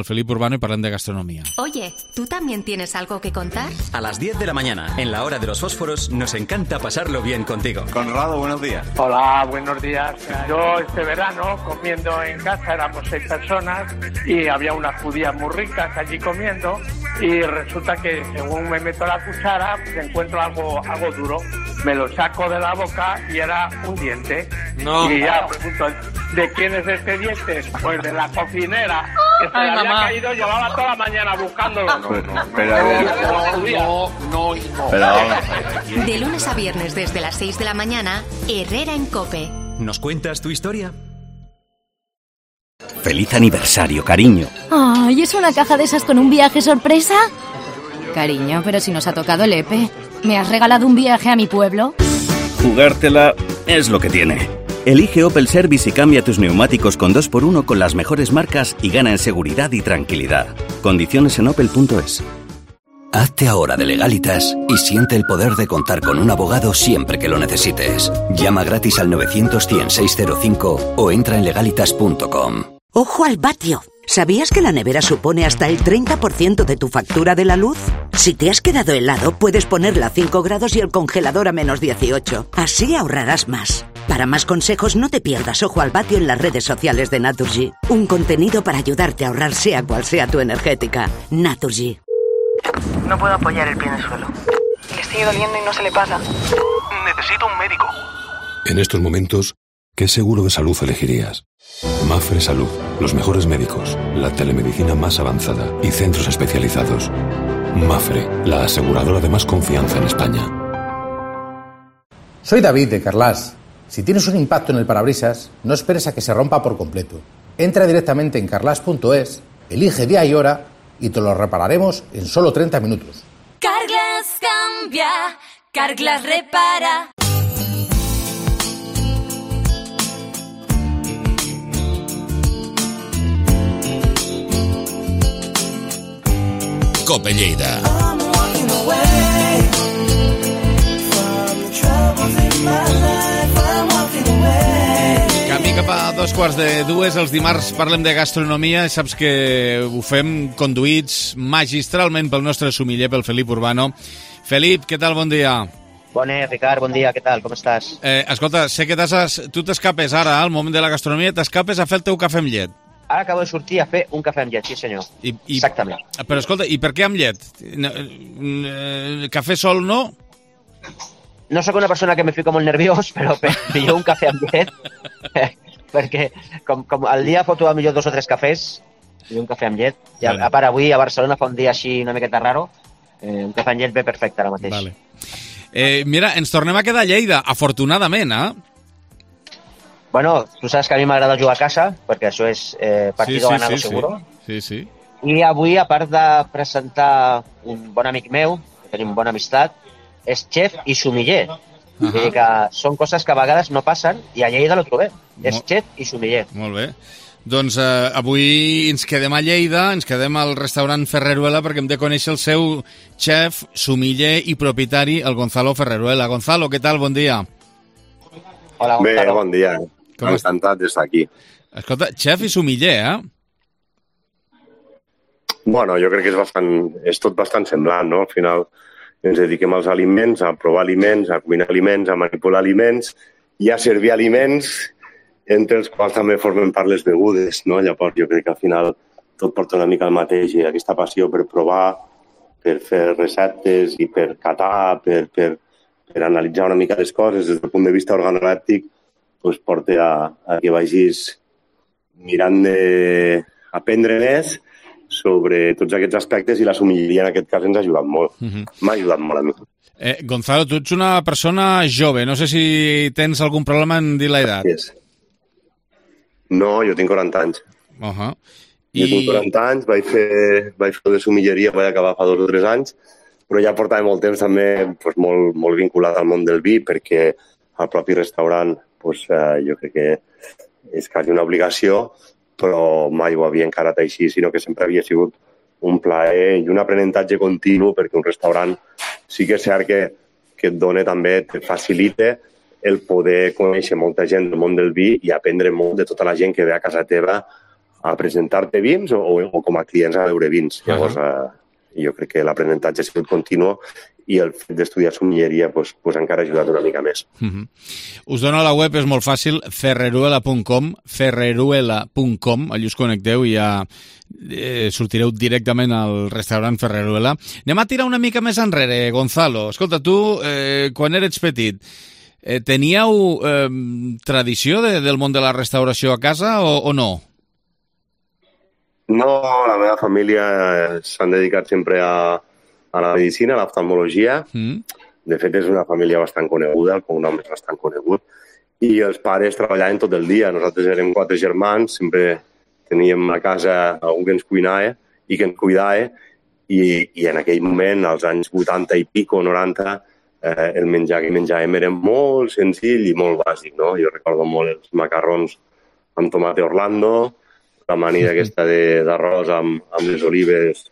Felip Urbano, y parlem de gastronomía. Oye, ¿tú también tienes algo que contar? A las 10 de la mañana, en la hora de los fósforos, nos encanta pasarlo bien contigo. Conrado, buenos días. Hola, buenos días. Yo este verano, comiendo en casa, éramos 6 personas y había unas judías muy ricas allí comiendo y resulta que según me meto la cuchara, pues encuentro algo duro. Me lo saco de la boca y era un diente. No. Y ya pregunto, ¿de quién es este diente? Pues de la cocinera. Que se le había caído, llevaba toda la mañana buscándolo. De lunes a viernes desde las 6 de la mañana, Herrera en COPE. ¿Nos cuentas tu historia? ¡Feliz aniversario, cariño! ¡Ay, es una caja de esas con un viaje sorpresa! Cariño, pero si nos ha tocado el EPE. ¿Me has regalado un viaje a mi pueblo? Jugártela es lo que tiene. Elige Opel Service y cambia tus neumáticos con 2x1 con las mejores marcas y gana en seguridad y tranquilidad. Condiciones en opel.es. Hazte ahora de Legalitas y siente el poder de contar con un abogado siempre que lo necesites. Llama gratis al 900-100-605 o entra en legalitas.com. ¡Ojo al vatio! ¿Sabías que la nevera supone hasta el 30% de tu factura de la luz? Si te has quedado helado, puedes ponerla a 5 grados y el congelador a menos 18. Así ahorrarás más. Para más consejos, no te pierdas Ojo al vatio en las redes sociales de Naturgy. Un contenido para ayudarte a ahorrar sea cual sea tu energética. Naturgy. No puedo apoyar el pie en el suelo. Le sigue doliendo y no se le pasa. Necesito un médico. En estos momentos, ¿qué seguro de salud elegirías? Mapfre Salud, los mejores médicos, la telemedicina más avanzada y centros especializados. Mapfre, la aseguradora de más confianza en España. Soy David de Carlas. Si tienes un impacto en el parabrisas, no esperes a que se rompa por completo. Entra directamente en carlas.es, elige día y hora y te lo repararemos en solo 30 minutos. Carglass cambia, Carglass repara. COPE Lleida. Camí cap a 2:45, els dimarts parlem de gastronomia i saps que ho fem conduïts magistralment pel nostre sumiller, pel Felip Urbano. Felip, què tal? Bon dia. Bones, Ricard, bon dia, què tal? Com estàs? Escolta, sé que tu t'escapes ara, al moment de la gastronomia, t'escapes a fer el teu cafè amb llet. Ara acabo de sortir a fer un cafè amb llet, sí senyor. Exactament. Però escolta, i per què amb llet? Cafè sol no? No sóc una persona que me fico molt nerviós, però pillo un cafè amb llet, perquè com al dia foto a millor 2 o 3 cafès, pillo un cafè amb llet. I a part avui a Barcelona fa un dia així una miqueta raro, un cafè amb llet ve perfecte ara mateix. Vale. Mira, ens tornem a quedar a Lleida, afortunadament, Bueno, tu saps que a mi m'agrada jugar a casa, perquè això és partido ganado seguro. Sí. I avui, a part de presentar un bon amic meu, que tenim bona amistat, és xef i sumiller. Vull dir que són coses que a vegades no passen i a Lleida lo trobem. És xef i sumiller. Molt bé. Doncs avui ens quedem a Lleida, ens quedem al restaurant Ferreruela perquè hem de conèixer el seu xef, sumiller i propietari, el Gonzalo Ferreruela. Gonzalo, què tal? Bon dia. Hola, Gonzalo. Bé, bon dia. Encantat d'estar aquí. Escolta, xef i sumiller, Bueno, jo crec que és tot bastant semblant, no? Al final ens dediquem als aliments, a provar aliments, a cuinar aliments, a manipular aliments i a servir aliments, entre els quals també formen part les begudes, no? Llavors jo crec que al final tot porta una mica al mateix i aquesta passió per provar, per fer receptes i per catar, per analitzar una mica les coses des del punt de vista organolèptic, doncs porta a que vagis mirant d'aprendre més sobre tots aquests aspectes i la sumilleria en aquest cas ens ha ajudat molt. M'ha ajudat molt a mi. Gonzalo, tu ets una persona jove. No sé si tens algun problema en dir l'edat. No, jo tinc 40 anys. Jo tinc 40 anys, vaig fer de sumilleria, vaig acabar fa 2 o 3 anys, però ja portava molt temps també molt vinculat al món del vi perquè al propi restaurant jo crec que és quasi una obligació però mai ho havia encarat així, sinó que sempre havia sigut un plaer i un aprenentatge continu, perquè un restaurant sí que és cert que et dona també, et facilita el poder conèixer molta gent del món del vi i aprendre molt de tota la gent que ve a casa teva a presentar-te vins o com a clients a veure vins. Llavors, jo crec que l'aprenentatge ha sigut continu i el fet d'estudiar sommelleria pues, encara ha ajudat una mica més. Us dono la web, és molt fàcil, ferreruela.com, allà us connecteu i ja sortireu directament al restaurant Ferreruela. Anem a tirar una mica més enrere, Gonzalo. Escolta, tu, quan eres petit, teníeu tradició del món de la restauració a casa o no? No, la meva família s'han dedicat sempre a la medicina, a l'oftalmologia. De fet, és una família bastant coneguda, el cognom és bastant conegut. I els pares treballaven tot el dia. Nosaltres érem 4 germans, sempre teníem a casa algú que ens cuinava i que ens cuidava. I en aquell moment, als anys 80 i pico, 90, el menjar que menjàvem era molt senzill i molt bàsic, no? Jo recordo molt els macarrons amb tomate Orlando, l'amanida aquesta d'arròs amb les olives,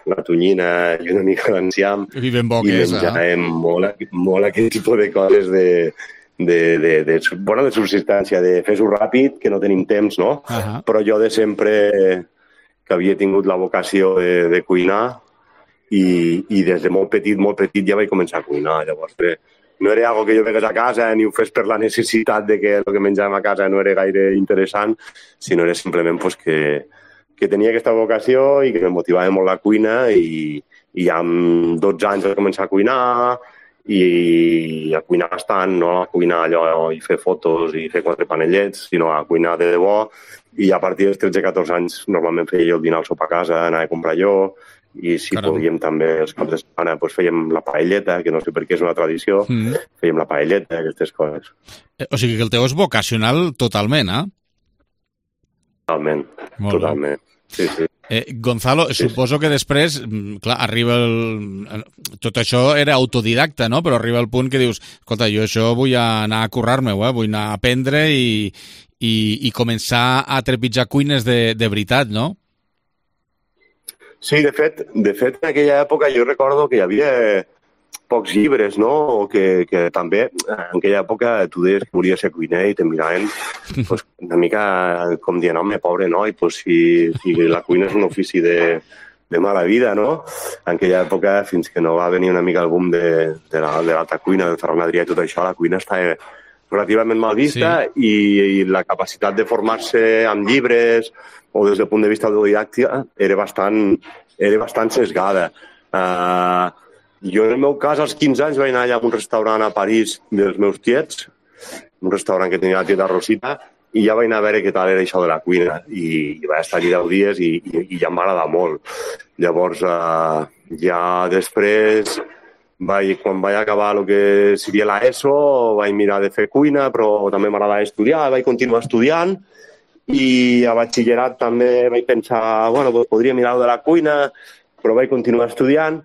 la tonyina i una mica d'enciam. I ben bo que és, menjàvem molt aquest tipus de coses de subsistència, de fer-ho ràpid, que no tenim temps, no? Però jo de sempre que havia tingut la vocació de cuinar i des de molt petit ja vaig començar a cuinar. Llavors, no era algo que jo vegués a casa ni ho fes per la necessitat de que el que menjàvem a casa no era gaire interessant, sinó era simplement pues, que tenia aquesta vocació i que em motivava molt la cuina i ja amb 12 anys vaig començar a cuinar i a cuinar bastant, no a cuinar allò i fer fotos i fer 4 panellets, sinó a cuinar de debò. I a partir dels 13-14 anys normalment feia jo el dinar al sopar a casa, anava a comprar jo, i si podíem també els caps de setmana doncs fèiem la paelleta, que no sé per què és una tradició, fèiem la paelleta, aquestes coses. O sigui que el teu és vocacional totalment, eh? Totalment. Sí. Gonzalo, suposo que després, clar, arriba tot això era autodidacta, no? Però arriba el punt que dius, escolta, jo això vull anar a currar-me-ho, vull anar a aprendre i començar a trepitjar cuines de veritat, no? Sí, de fet, en aquella època jo recordo que hi havia pocs llibres, no? O que també en aquella època tu deies que volies ser cuiner i te miraven pues, una mica com dient, home, pobre noi, pues, si la cuina és un ofici de mala vida, no? En aquella època, fins que no va venir una mica el boom de l'alta cuina, del Ferran Adrià i tot això, la cuina estava relativament mal vista i la capacitat de formar-se amb llibres o des del punt de vista autodidàctica era bastant sesgada. Jo, en el meu cas, als 15 anys vaig anar allà a un restaurant a París dels meus tiets, un restaurant que tenia la tieta Rosita, i ja vaig anar a veure què tal era això de la cuina. I vaig estar allà 10 dies i ja em va agradar molt. Llavors, ja després, quan vaig acabar el que seria l'ESO, vaig mirar de fer cuina, però també m'agradava estudiar, vaig continuar estudiant, i a batxillerat també vaig pensar, bueno, podria mirar de la cuina, però vaig continuar estudiant,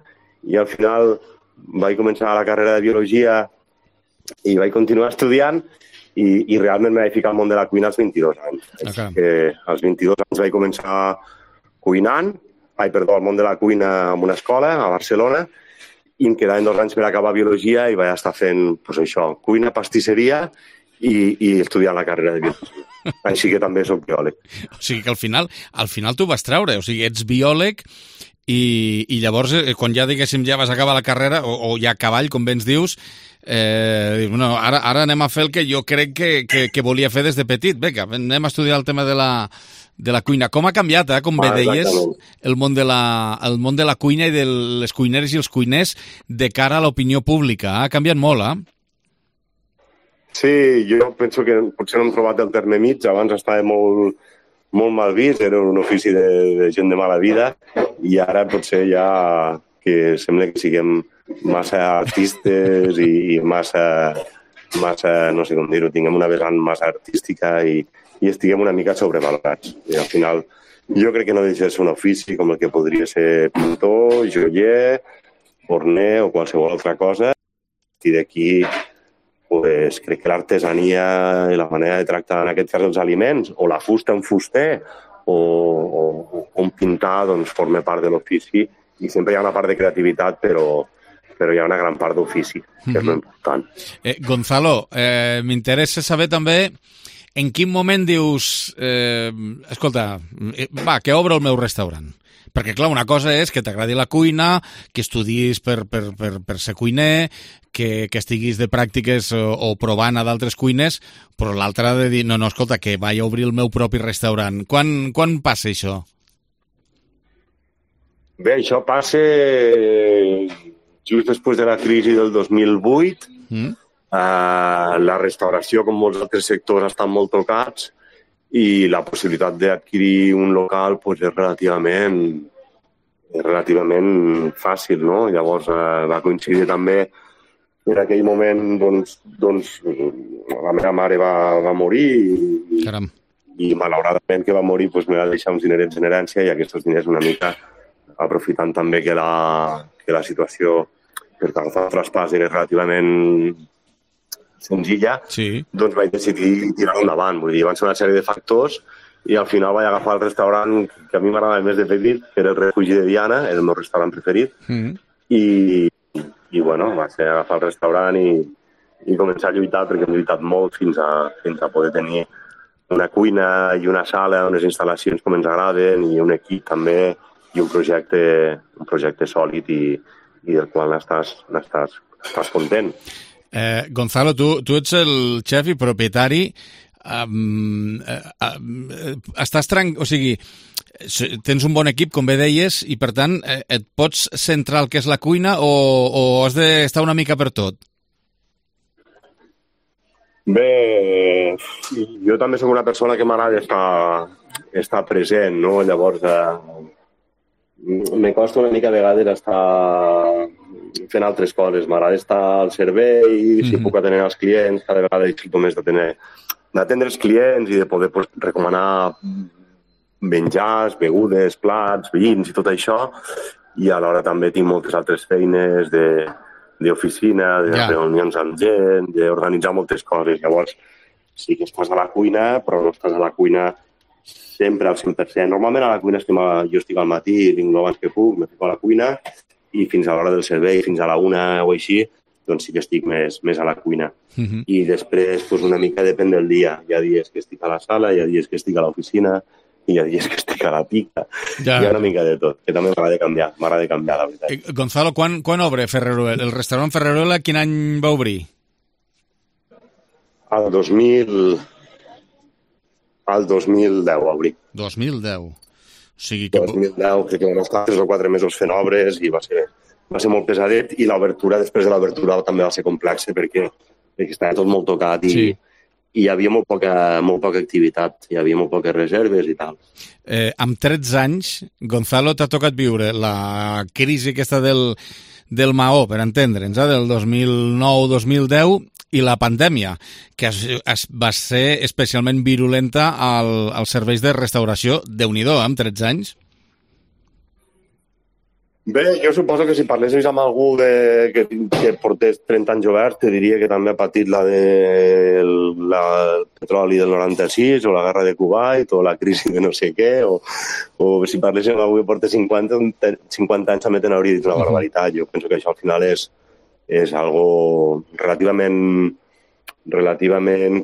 i al final vaig començar la carrera de biologia i vaig continuar estudiant i realment m'he ficat al món de la cuina als 22 anys. Així que als 22 anys vaig començar cuinant, al món de la cuina en una escola a Barcelona, i em quedaven 2 anys per acabar biologia i vaig estar fent pues, això, cuina, pastisseria i estudiant la carrera de biologia. Així que també soc biòleg. O sigui que al final tu vas treure, o sigui, ets biòleg i llavors, quan ja, diguéssim, ja vas acabar la carrera, o ja a cavall, com bé ens dius, bueno, ara anem a fer el que jo crec que volia fer des de petit. Vinga, anem a estudiar el tema de la cuina. Com ha canviat, com bé deies, el món de la cuina i de les cuineres i els cuiners de cara a l'opinió pública. Ha canviat molt, eh? Sí, jo penso que potser no hem trobat el terme mig. Abans estava molt mal vist, era un ofici de gent de mala vida, i ara potser ja que sembla que siguem massa artistes i massa, no sé com dir-ho, tinguem una vessant massa artística i estiguem una mica sobrevalorats. I al final jo crec que no deixa de ser un ofici com el que podria ser pintor, joier, forner o qualsevol altra cosa. I d'aquí pues, crec que l'artesania i la manera de tractar en aquest cas els aliments, o la fusta en fuster, o com pintar, doncs forma part de l'ofici, i sempre hi ha una part de creativitat, però hi ha una gran part d'ofici, que és molt important. Gonzalo, m'interessa saber també en quin moment dius escolta, que obro el meu restaurant. Perquè, clar, una cosa és que t'agradi la cuina, que estudis per ser cuiner, que estiguis de pràctiques o provant a d'altres cuines, però l'altra de dir, no, escolta, que vaig a obrir el meu propi restaurant. Quan passa això? Bé, això passa just després de la crisi del 2008. La restauració, com molts altres sectors, estan molt tocats, i la possibilitat d'adquirir un local és relativament fàcil, no? Llavors va coincidir també en aquell moment, doncs la meva mare va morir i malauradament que va morir me va deixar uns dinerets en herència, i aquests diners una mica aprofitant també que la situació per agafar el traspàs era relativament senzilla, doncs vaig decidir tirar endavant. Vull dir, van ser una sèrie de factors i al final vaig agafar el restaurant que a mi m'agradava més de petit, que era el Refugi de Diana, era el meu restaurant preferit, i bueno, va ser agafar el restaurant i començar a lluitar, perquè hem lluitat molt fins a poder tenir una cuina i una sala, unes instal·lacions com ens agraden, i un equip també, i un projecte sòlid i del qual n'estàs content. Gonzalo, tu ets el xef i propietari. O sigui, tens un bon equip, com bé deies, i per tant et pots centrar el que és la cuina o has d'estar una mica per tot? Bé, jo també soc una persona que m'agrada estar present, no? Llavors, me costa una mica a vegades estar fent altres coses. M'agrada estar al servei, si puc atendre els clients, cada vegada disfruto més d'atendre els clients i de poder recomanar menjars, begudes, plats, vins i tot això, i alhora també tinc moltes altres feines d'oficina, de reunions amb gent, d'organitzar moltes coses. Llavors, sí que estàs a la cuina, però no estàs a la cuina sempre al 100%. Normalment a la cuina jo estic al matí, vinc abans que puc, me fico a la cuina, i fins a l'hora del servei, fins a la 1 o així, doncs sí que estic més a la cuina. I després, una mica depèn del dia. Hi ha dies que estic a la sala, hi ha dies que estic a l'oficina, i hi ha dies que estic a la pica. Hi ha una mica de tot, que també m'agrada canviar, la veritat. Gonzalo, quan obre Ferreruela? El restaurant Ferreruela, quin any va obrir? Al 2010 va obrir. 2010. O sigui que... 2010, crec que vam estar 3 o 4 mesos fent obres i va ser molt pesadet, i l'obertura, després de l'obertura, també va ser complexa perquè estava tot molt tocat i hi havia molt poca activitat, hi havia molt poques reserves i tal. Amb 13 anys, Gonzalo, t'ha tocat viure la crisi aquesta del Maó, per entendre'ns, del 2009-2010, i la pandèmia, que va ser especialment virulenta als serveis de restauració. Déu-n'hi-do, amb 13 anys. Bé, jo suposo que si parlessis amb algú que portés 30 anys obert, te diria que també ha patit la del petroli del 96, o la guerra de Kuwait, o la crisi de no sé què, o si parlessis amb algú que portés 50 anys també te n'hauria dit una barbaritat. Jo penso que això al final és algo relativament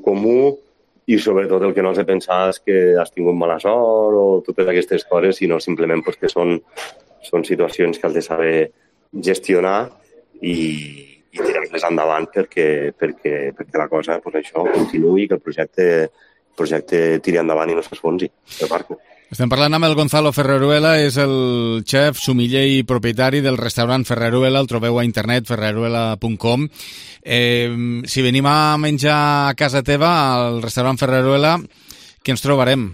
comú, i sobretot el que no has de pensar és que has tingut mala sort o totes aquestes coses, sinó simplement que són situacions que has de saber gestionar i tirar-les endavant perquè la cosa, això, continuï, que el projecte tiri endavant i no s'esfonsi. Estem parlant amb el Gonzalo Ferreruela, és el xef, sommelier i propietari del restaurant Ferreruela, el trobeu a internet, ferreruela.com. Si venim a menjar a casa teva, al restaurant Ferreruela, què ens trobarem?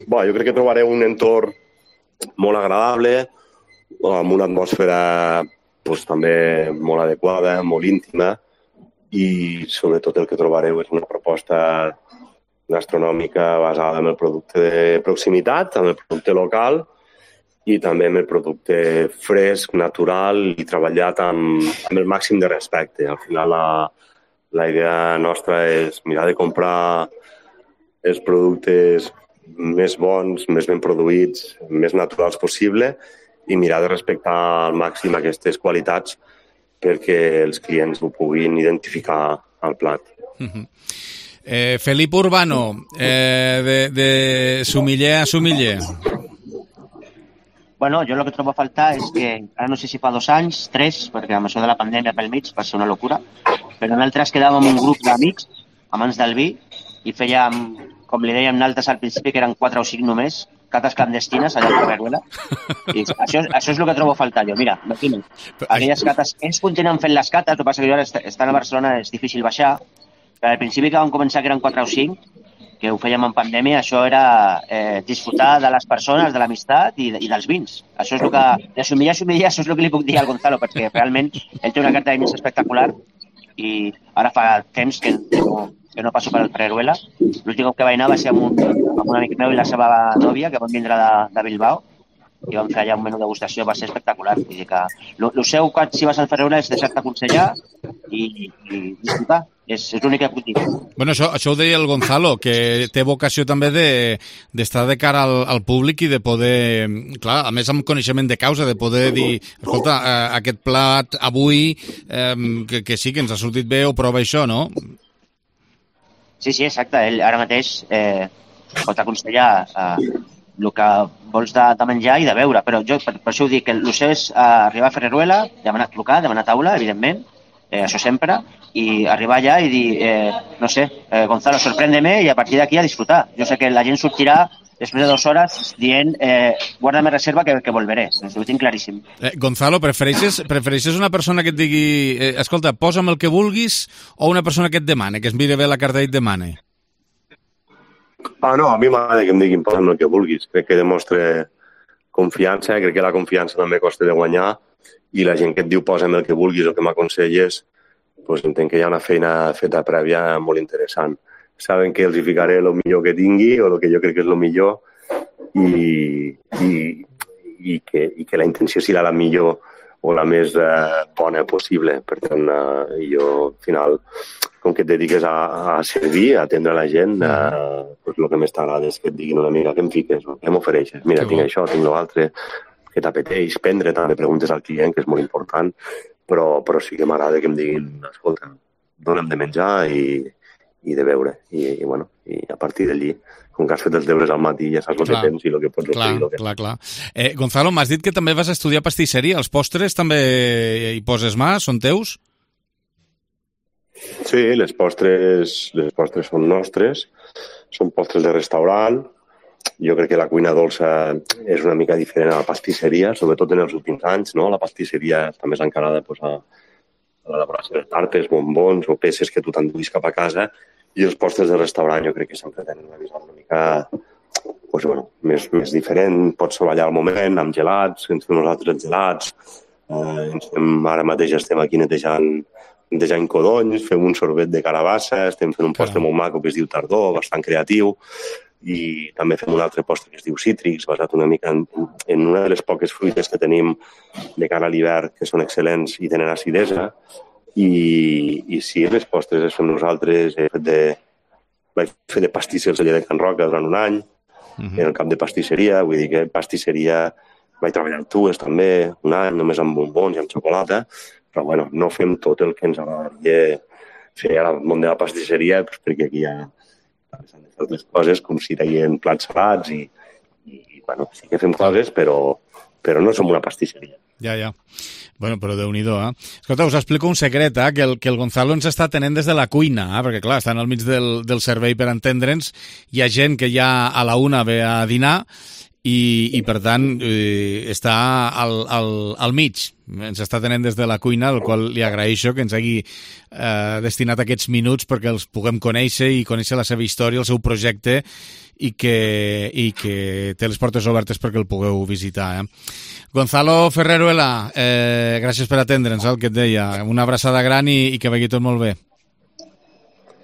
Jo crec que trobareu un entorn molt agradable, amb una atmosfera també molt adequada, molt íntima, i sobretot el que trobareu és una proposta gastronòmica basada en el producte de proximitat, en el producte local, i també amb el producte fresc, natural i treballat amb el màxim de respecte. Al final la idea nostra és mirar de comprar els productes més bons, més ben produïts, més naturals possible i mirar de respectar al màxim aquestes qualitats perquè els clients ho puguin identificar al plat. Felip Urbano, de Sumiller a Sumiller. Bueno, jo el que trobo a faltar és que, ara no sé si fa 2 anys, 3, perquè amb això de la pandèmia pel mig va ser una locura, però nosaltres quedàvem un grup d'amics, amants del vi, i fèiem, com li dèiem nosaltres al principi, que eren 4 o 5 només, cates clandestines allà a Ferreruela. I això és el que trobo a faltar jo. Mira, imagina't, aquelles cates, ells continuen fent les cates, el que passa que jo ara estant a Barcelona és difícil baixar, però al principi que vam començar que eren 4 o 5, que ho fèiem en pandèmia, això era disfrutar de les persones, de l'amistat i dels vins. Això és el que, de Sumiller a Sumiller, això és el que li puc dir al Gonzalo, perquè realment ell té una carta de vins espectacular i ara fa temps que no passo per el Ferreruela. L'últim cop que vaig anar va ser amb un amic meu i la seva nòvia, que van vindre de Bilbao, i vam fer allà un menú de degustació, va ser espectacular. Vull dir que el seu, si vas al Ferreruela, és deixar-te aconsellar i disfrutar. És l'únic que puc dir. Bueno, això ho deia el Gonzalo, que té vocació també d'estar de cara al públic i de poder, clar, a més amb coneixement de causa, de poder dir, escolta, aquest plat avui, que sí, que ens ha sortit bé, o prova això, no? Sí, exacte. Ell ara mateix pot aconsellar el que vols de menjar i de beure, però jo per això ho dic, que el seu és arribar a Ferreruela, trucar, demanar taula, evidentment, això sempre, i arribar allà i dir, no sé, Gonzalo, sorprèndeme, i a partir d'aquí a disfrutar. Jo sé que la gent sortirà després de 2 hores dient, guarda'm reserva que volveré. Ho tinc claríssim. Gonzalo, prefereixes una persona que et digui, escolta, posa'm el que vulguis, o una persona que et demane, que es mire bé la carta i et demane? No, a mi m'agrada que em diguin posa'm el que vulguis. Crec que demostra confiança, crec que la confiança també costa de guanyar, i la gent que et diu posa'm el que vulguis o que m'aconselles, doncs entenc que hi ha una feina feta prèvia molt interessant. Saben que els hi ficaré el millor que tingui o el que jo crec que és el millor i que la intenció serà la millor o la més bona possible. Per tant, jo, al final, com que et dediques a servir, a atendre la gent, doncs el que més t'agrada és que et diguin una mica què em fiques, què m'ofereixes. Mira, tinc això, tinc l'altre, que t'apeteix, prendre, també preguntes al client, que és molt important, però sí que m'agrada que em diguin, escolta, dona'm de menjar i de beure. I a partir d'allí, com que has fet els deures al matí, ja saps el que tens i el que pots oferir. Clar. Gonzalo, m'has dit que també vas estudiar pastisseria. Els postres també hi poses mà? Són teus? Sí, les postres són nostres, són postres de restaurant. Jo crec que la cuina dolça és una mica diferent a la pastisseria, sobretot en els últims anys, no? La pastisseria està més encarada a l'elaboració de tartes, bombons o peces que tu t'enduis cap a casa, i els postres de restaurant jo crec que sempre tenen una visió una mica més diferent. Pots treballar al moment amb gelats, ens fem nosaltres els gelats, ara mateix estem aquí netejant codonys, fem un sorbet de carabassa, estem fent un postre molt maco que es diu tardor, bastant creatiu, i també fem un altre postre que es diu cítrics, basat una mica en una de les poques fruites que tenim de cara a l'hivern, que són excel·lents i tenen acidesa. I sí, les postres les fem nosaltres. Vaig fer de pastisser al celler de Can Roca durant un any, en el camp de pastisseria, vull dir que pastisseria vaig treballar al Tues també, un any, només amb bombons i amb xocolata, però no fem tot el que ens agradaria fer al món de la pastisseria, perquè aquí hi ha altres coses, com si deien plats salats i sí que fem coses, però no som una pastisseria. Ja. Bueno, però Déu-n'hi-do, Escolta, us explico un secret, que el Gonzalo ens està tenint des de la cuina, perquè clar, estan al mig del servei per entendre'ns, hi ha gent que ja a la 1 ve a dinar, i per tant està al mig, ens està tenint des de la cuina, al qual li agraeixo que ens hagi destinat aquests minuts perquè els puguem conèixer i conèixer la seva història, el seu projecte, i que té les portes obertes perquè el pugueu visitar. Gonzalo Ferreruela, gràcies per atendre'ns, el que et deia. Una abraçada gran i que vagi tot molt bé.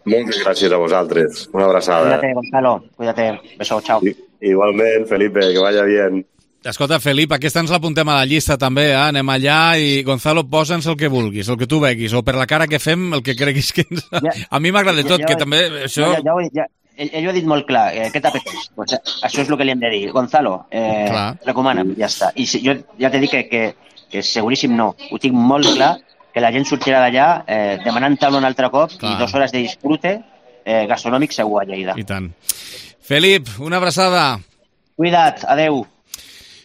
Moltes gràcies a vosaltres. Una abraçada. Cuídate, Gonzalo. Cuídate. Beso, chao. Igualment, Felipe, que vaya bien. Escolta, Felip, aquesta ens l'apuntem a la llista també, Anem allà i, Gonzalo, posa'ns el que vulguis, el que tu veguis, o per la cara que fem, el que creguis que ens... A mi m'agrada tot, que també això... ell ho ha dit molt clar, què t'apeteix? Pues això és el que li hem de dir. Gonzalo, recomana'm, ja està. I jo ja t'he dit que seguríssim no. Ho tinc molt clar, que la gent sortirà d'allà demanant taula un altre cop i 2 hores de disfrute gastronòmic segur a Lleida. I tant. Felip, una abraçada. Cuida't, adeu.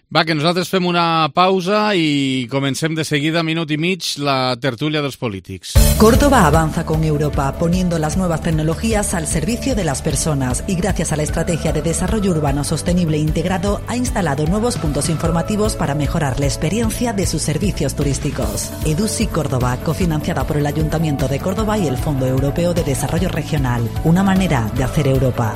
Va, que nosaltres fem una pausa y comencem de seguida, minut y mig, la tertulia de los polítics. Córdoba avanza con Europa, poniendo las nuevas tecnologías al servicio de las personas y gracias a la Estrategia de Desarrollo Urbano Sostenible e Integrado ha instalado nuevos puntos informativos para mejorar la experiencia de sus servicios turísticos. EDUSI Córdoba, cofinanciada por el Ayuntamiento de Córdoba y el Fondo Europeo de Desarrollo Regional. Una manera de hacer Europa.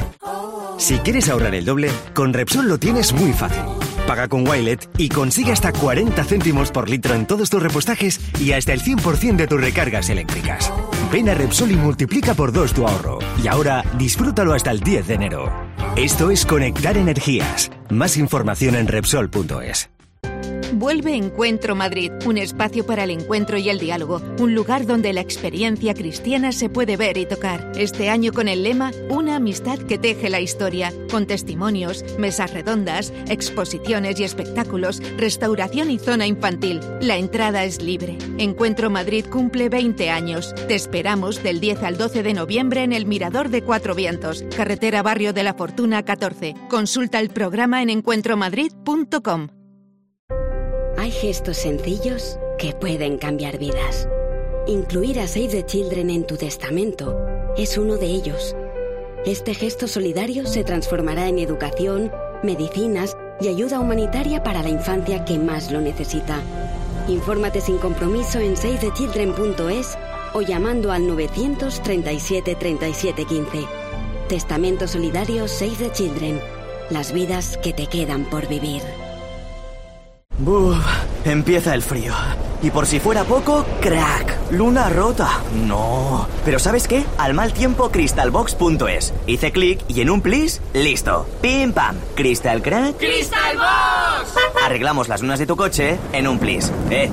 Si quieres ahorrar el doble, con Repsol lo tienes muy fácil. Paga con Wilet y consigue hasta 40 céntimos por litro en todos tus repostajes y hasta el 100% de tus recargas eléctricas. Ven a Repsol y multiplica por 2 tu ahorro. Y ahora disfrútalo hasta el 10 de enero. Esto es Conectar Energías. Más información en Repsol.es. Vuelve Encuentro Madrid, un espacio para el encuentro y el diálogo, un lugar donde la experiencia cristiana se puede ver y tocar. Este año con el lema Una amistad que teje la historia, con testimonios, mesas redondas, exposiciones y espectáculos, restauración y zona infantil. La entrada es libre. Encuentro Madrid cumple 20 años. Te esperamos del 10 al 12 de noviembre en el Mirador de Cuatro Vientos, carretera Barrio de la Fortuna 14. Consulta el programa en encuentromadrid.com. Hay gestos sencillos que pueden cambiar vidas. Incluir a Save the Children en tu testamento es uno de ellos. Este gesto solidario se transformará en educación, medicinas y ayuda humanitaria para la infancia que más lo necesita. Infórmate sin compromiso en savethechildren.es o llamando al 937 37 15. Testamento solidario Save the Children. Las vidas que te quedan por vivir. Buf, empieza el frío. Y por si fuera poco, crack, luna rota. No. Pero ¿sabes qué? Al mal tiempo, crystalbox.es. Hice clic y en un plis, listo. Pim pam. Crystal crack. ¡Crystalbox! Arreglamos las lunas de tu coche en un plis.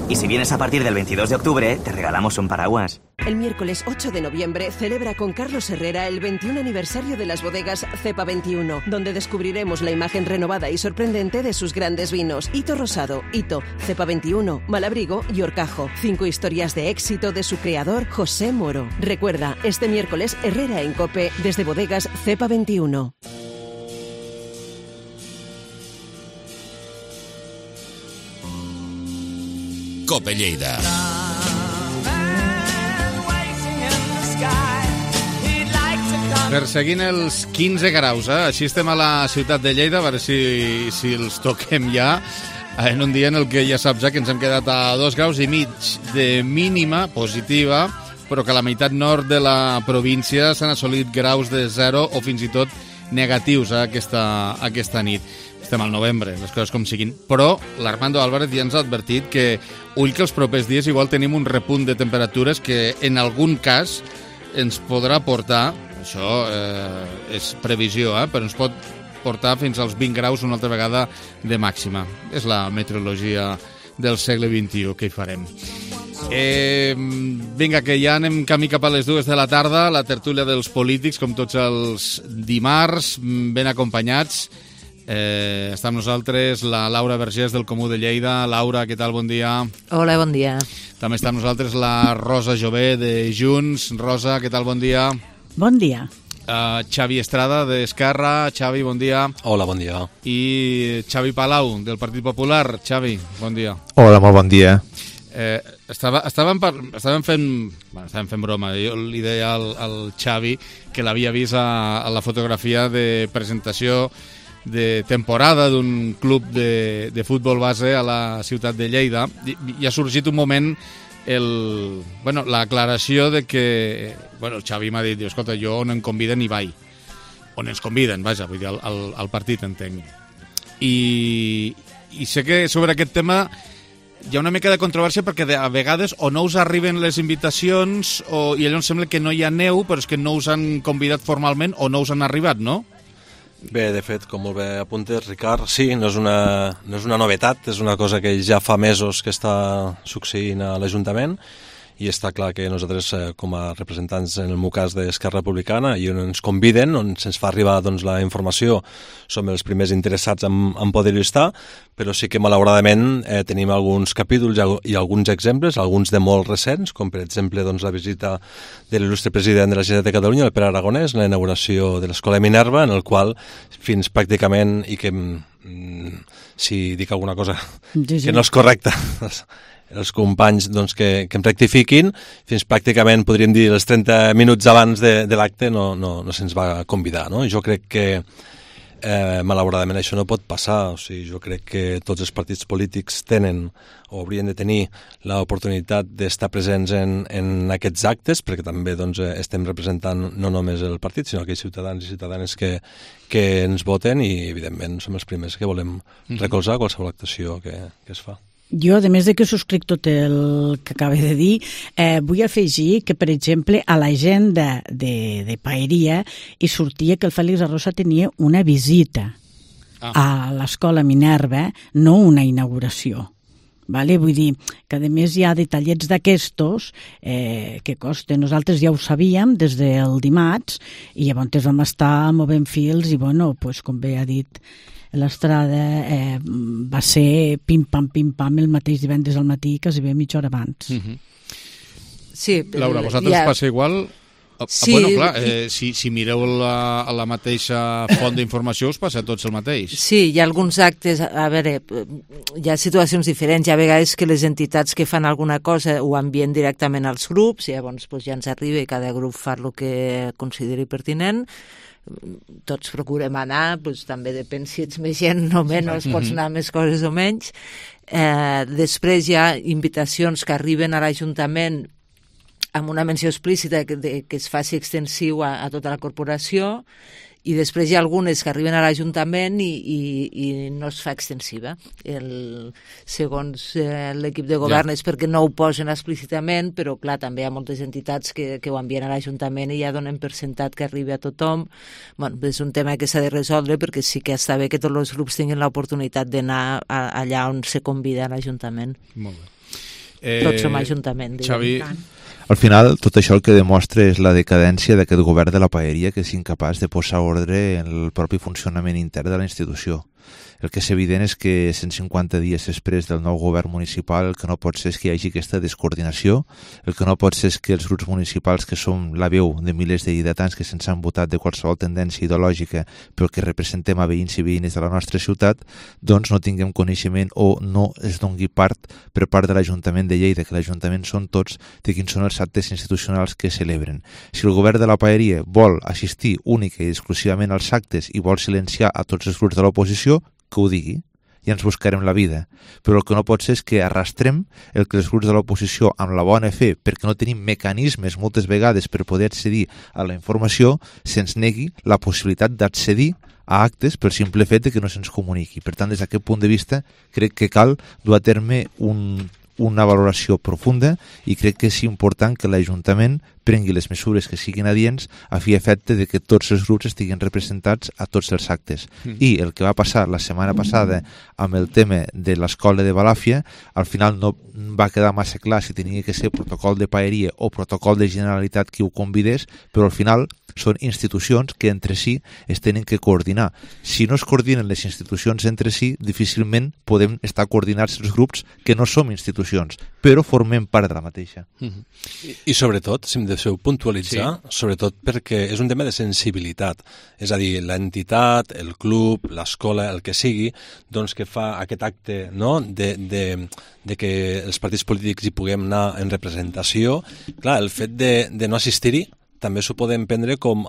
Y si vienes a partir del 22 de octubre, te regalamos un paraguas. El miércoles 8 de noviembre celebra con Carlos Herrera el 21 aniversario de las bodegas Cepa 21, donde descubriremos la imagen renovada y sorprendente de sus grandes vinos. Hito Rosado, Hito, Cepa 21, Malabrigo y Horcajo. 5 historias de éxito de su creador, José Moro. Recuerda, este miércoles Herrera en COPE desde bodegas Cepa 21. COPE Lleida. Perseguint els 15 graus, així estem a la ciutat de Lleida, a veure si els toquem ja, en un dia en el que ja saps que ens hem quedat a 2,5 graus de mínima positiva, però que a la meitat nord de la província s'han assolit graus de 0 o fins i tot negatius aquesta nit. Estem al novembre, les coses com siguin. Però l'Armando Álvarez ja ens ha advertit que ull que els propers dies igual tenim un repunt de temperatures que en algun cas ens podrà portar, això és previsió, però ens pot portar fins als 20 graus una altra vegada de màxima. És la meteorologia del segle XXI, que hi farem. Vinga, que ja anem camí cap a les 2 de la tarda, la tertúlia dels polítics, com tots els dimarts, ben acompanyats. Està amb nosaltres la Laura Vergés del Comú de Lleida. Laura, què tal? Bon dia. Hola, bon dia. També està amb nosaltres la Rosa Jové de Junts. Rosa, què tal? Bon dia. Bon dia. Xavi Estrada d'Esquerra. Xavi, bon dia. Hola, bon dia. I Xavi Palau del Partit Popular. Xavi, bon dia. Hola, molt bon dia. Estàvem fent broma. Jo li deia al Xavi que l'havia vist a la fotografia de presentació de temporada d'un club de futbol base a la ciutat de Lleida i ha sorgit un moment l'aclaració de que el Xavi m'ha dit, escolta, jo on em conviden hi vaig, on ens conviden, vaja, vull dir, al partit entenc, i sé que sobre aquest tema hi ha una mica de controvèrsia perquè a vegades o no us arriben les invitacions i llavors sembla que no hi ha neu, però és que no us han convidat formalment o no us han arribat, no? Bé, de fet, com molt bé apuntes, Ricard, sí, no és una novetat, és una cosa que ja fa mesos que està succeint a l'Ajuntament i està clar que nosaltres, com a representants en el meu cas d'Esquerra Republicana, i on ens conviden, on se'ns fa arribar doncs, la informació, som els primers interessats en poder-hi estar, però sí que malauradament tenim alguns capítols i alguns exemples, alguns de molt recents, com per exemple doncs, la visita de l'il·lustre president de la Generalitat de Catalunya, el Pere Aragonès, la inauguració de l'Escola Minerva, en el qual fins pràcticament, i que si dic alguna cosa que no és correcta, els companys doncs, que em rectifiquin, fins pràcticament, podríem dir, els 30 minuts abans de l'acte no se'ns va convidar. No? Jo crec que malauradament això no pot passar. O sigui, jo crec que tots els partits polítics tenen o haurien de tenir l'oportunitat d'estar presents en aquests actes, perquè també doncs, estem representant no només el partit, sinó aquells ciutadans i ciutadanes que ens voten, i evidentment som els primers que volem recolzar qualsevol actuació que es fa. Jo, a més de que subscric tot el que acaba de dir, vull afegir que, per exemple, a l'agenda de Paeria hi sortia que el Fèlix Arrosa tenia una visita a l'Escola Minerva, no una inauguració. Vale? Vull dir que, a més, hi ha detallets d'aquestos que costen. Nosaltres ja ho sabíem des del dimarts i llavors vam estar movent fils i, bueno, pues, com bé ha dit l'Estrada, va ser pim-pam el mateix divendres al matí, quasi bé mitja hora abans. Sí, Laura, vosaltres passa igual? Sí. Bueno, clar, si mireu la mateixa font d'informació us passa a tots el mateix. Sí, hi ha alguns actes, a veure, hi ha situacions diferents, hi ha vegades que les entitats que fan alguna cosa ho envien directament als grups, i llavors ja ens arriba i cada grup fa el que consideri pertinent. Tots procurem anar, també depèn si ets més gent o menys, pots anar més coses o menys. Després hi ha invitacions que arriben a l'Ajuntament amb una menció explícita que es faci extensiu a tota la corporació, i després hi ha algunes que arriben a l'Ajuntament i no es fa extensiva. Segons l'equip de govern és perquè no ho posen explícitament, però clar, també hi ha moltes entitats que ho envien a l'Ajuntament i ja donen per sentat que arribi a tothom. Bueno, és un tema que s'ha de resoldre, perquè sí que està bé que tots els grups tinguin l'oportunitat d'anar allà on se convida a l'Ajuntament. Molt bé. Tots som Ajuntament. Xavi... Al final, tot això el que demostra és la decadència d'aquest govern de la Paeria, que és incapaç de posar ordre en el propi funcionament intern de la institució. El que és evident és que 150 dies després del nou govern municipal el que no pot ser és que hi hagi aquesta descoordinació, el que no pot ser és que els grups municipals, que som la veu de milers de lleidatans que se'ns han votat de qualsevol tendència ideològica però que representem a veïns i veïnes de la nostra ciutat, doncs no tinguem coneixement o no es doni part per part de l'Ajuntament de Lleida, que l'Ajuntament són tots, de quins són els actes institucionals que celebren. Si el govern de la Paeria vol assistir única i exclusivament als actes i vol silenciar a tots els grups de l'oposició, que ho digui, i ens buscarem la vida. Però el que no pot ser és que arrastrem el que els grups de l'oposició, amb la bona fe, perquè no tenim mecanismes moltes vegades per poder accedir a la informació, se'ns negui la possibilitat d'accedir a actes pel simple fet que no se'ns comuniqui. Per tant, des d'aquest punt de vista, crec que cal dur a terme una valoració profunda, i crec que és important que l'Ajuntament prengui les mesures que siguin adients a fi efecte de que tots els grups estiguin representats a tots els actes. I el que va passar la setmana passada amb el tema de l'escola de Balàfia, al final no va quedar massa clar si tenia que ser protocol de Paeria o protocol de Generalitat qui ho convidés, però al final són institucions que entre si es tenen que coordinar. Si no es coordinen les institucions entre si, difícilment podem estar coordinats els grups que no som institucions, però formem part de la mateixa. I sobretot, si em deixeu puntualitzar, sobretot perquè és un tema de sensibilitat. És a dir, l'entitat, el club, l'escola, el que sigui, doncs que fa aquest acte, no?, de que els partits polítics hi puguem anar en representació. Clar, el fet de no assistir-hi també s'ho podem prendre com,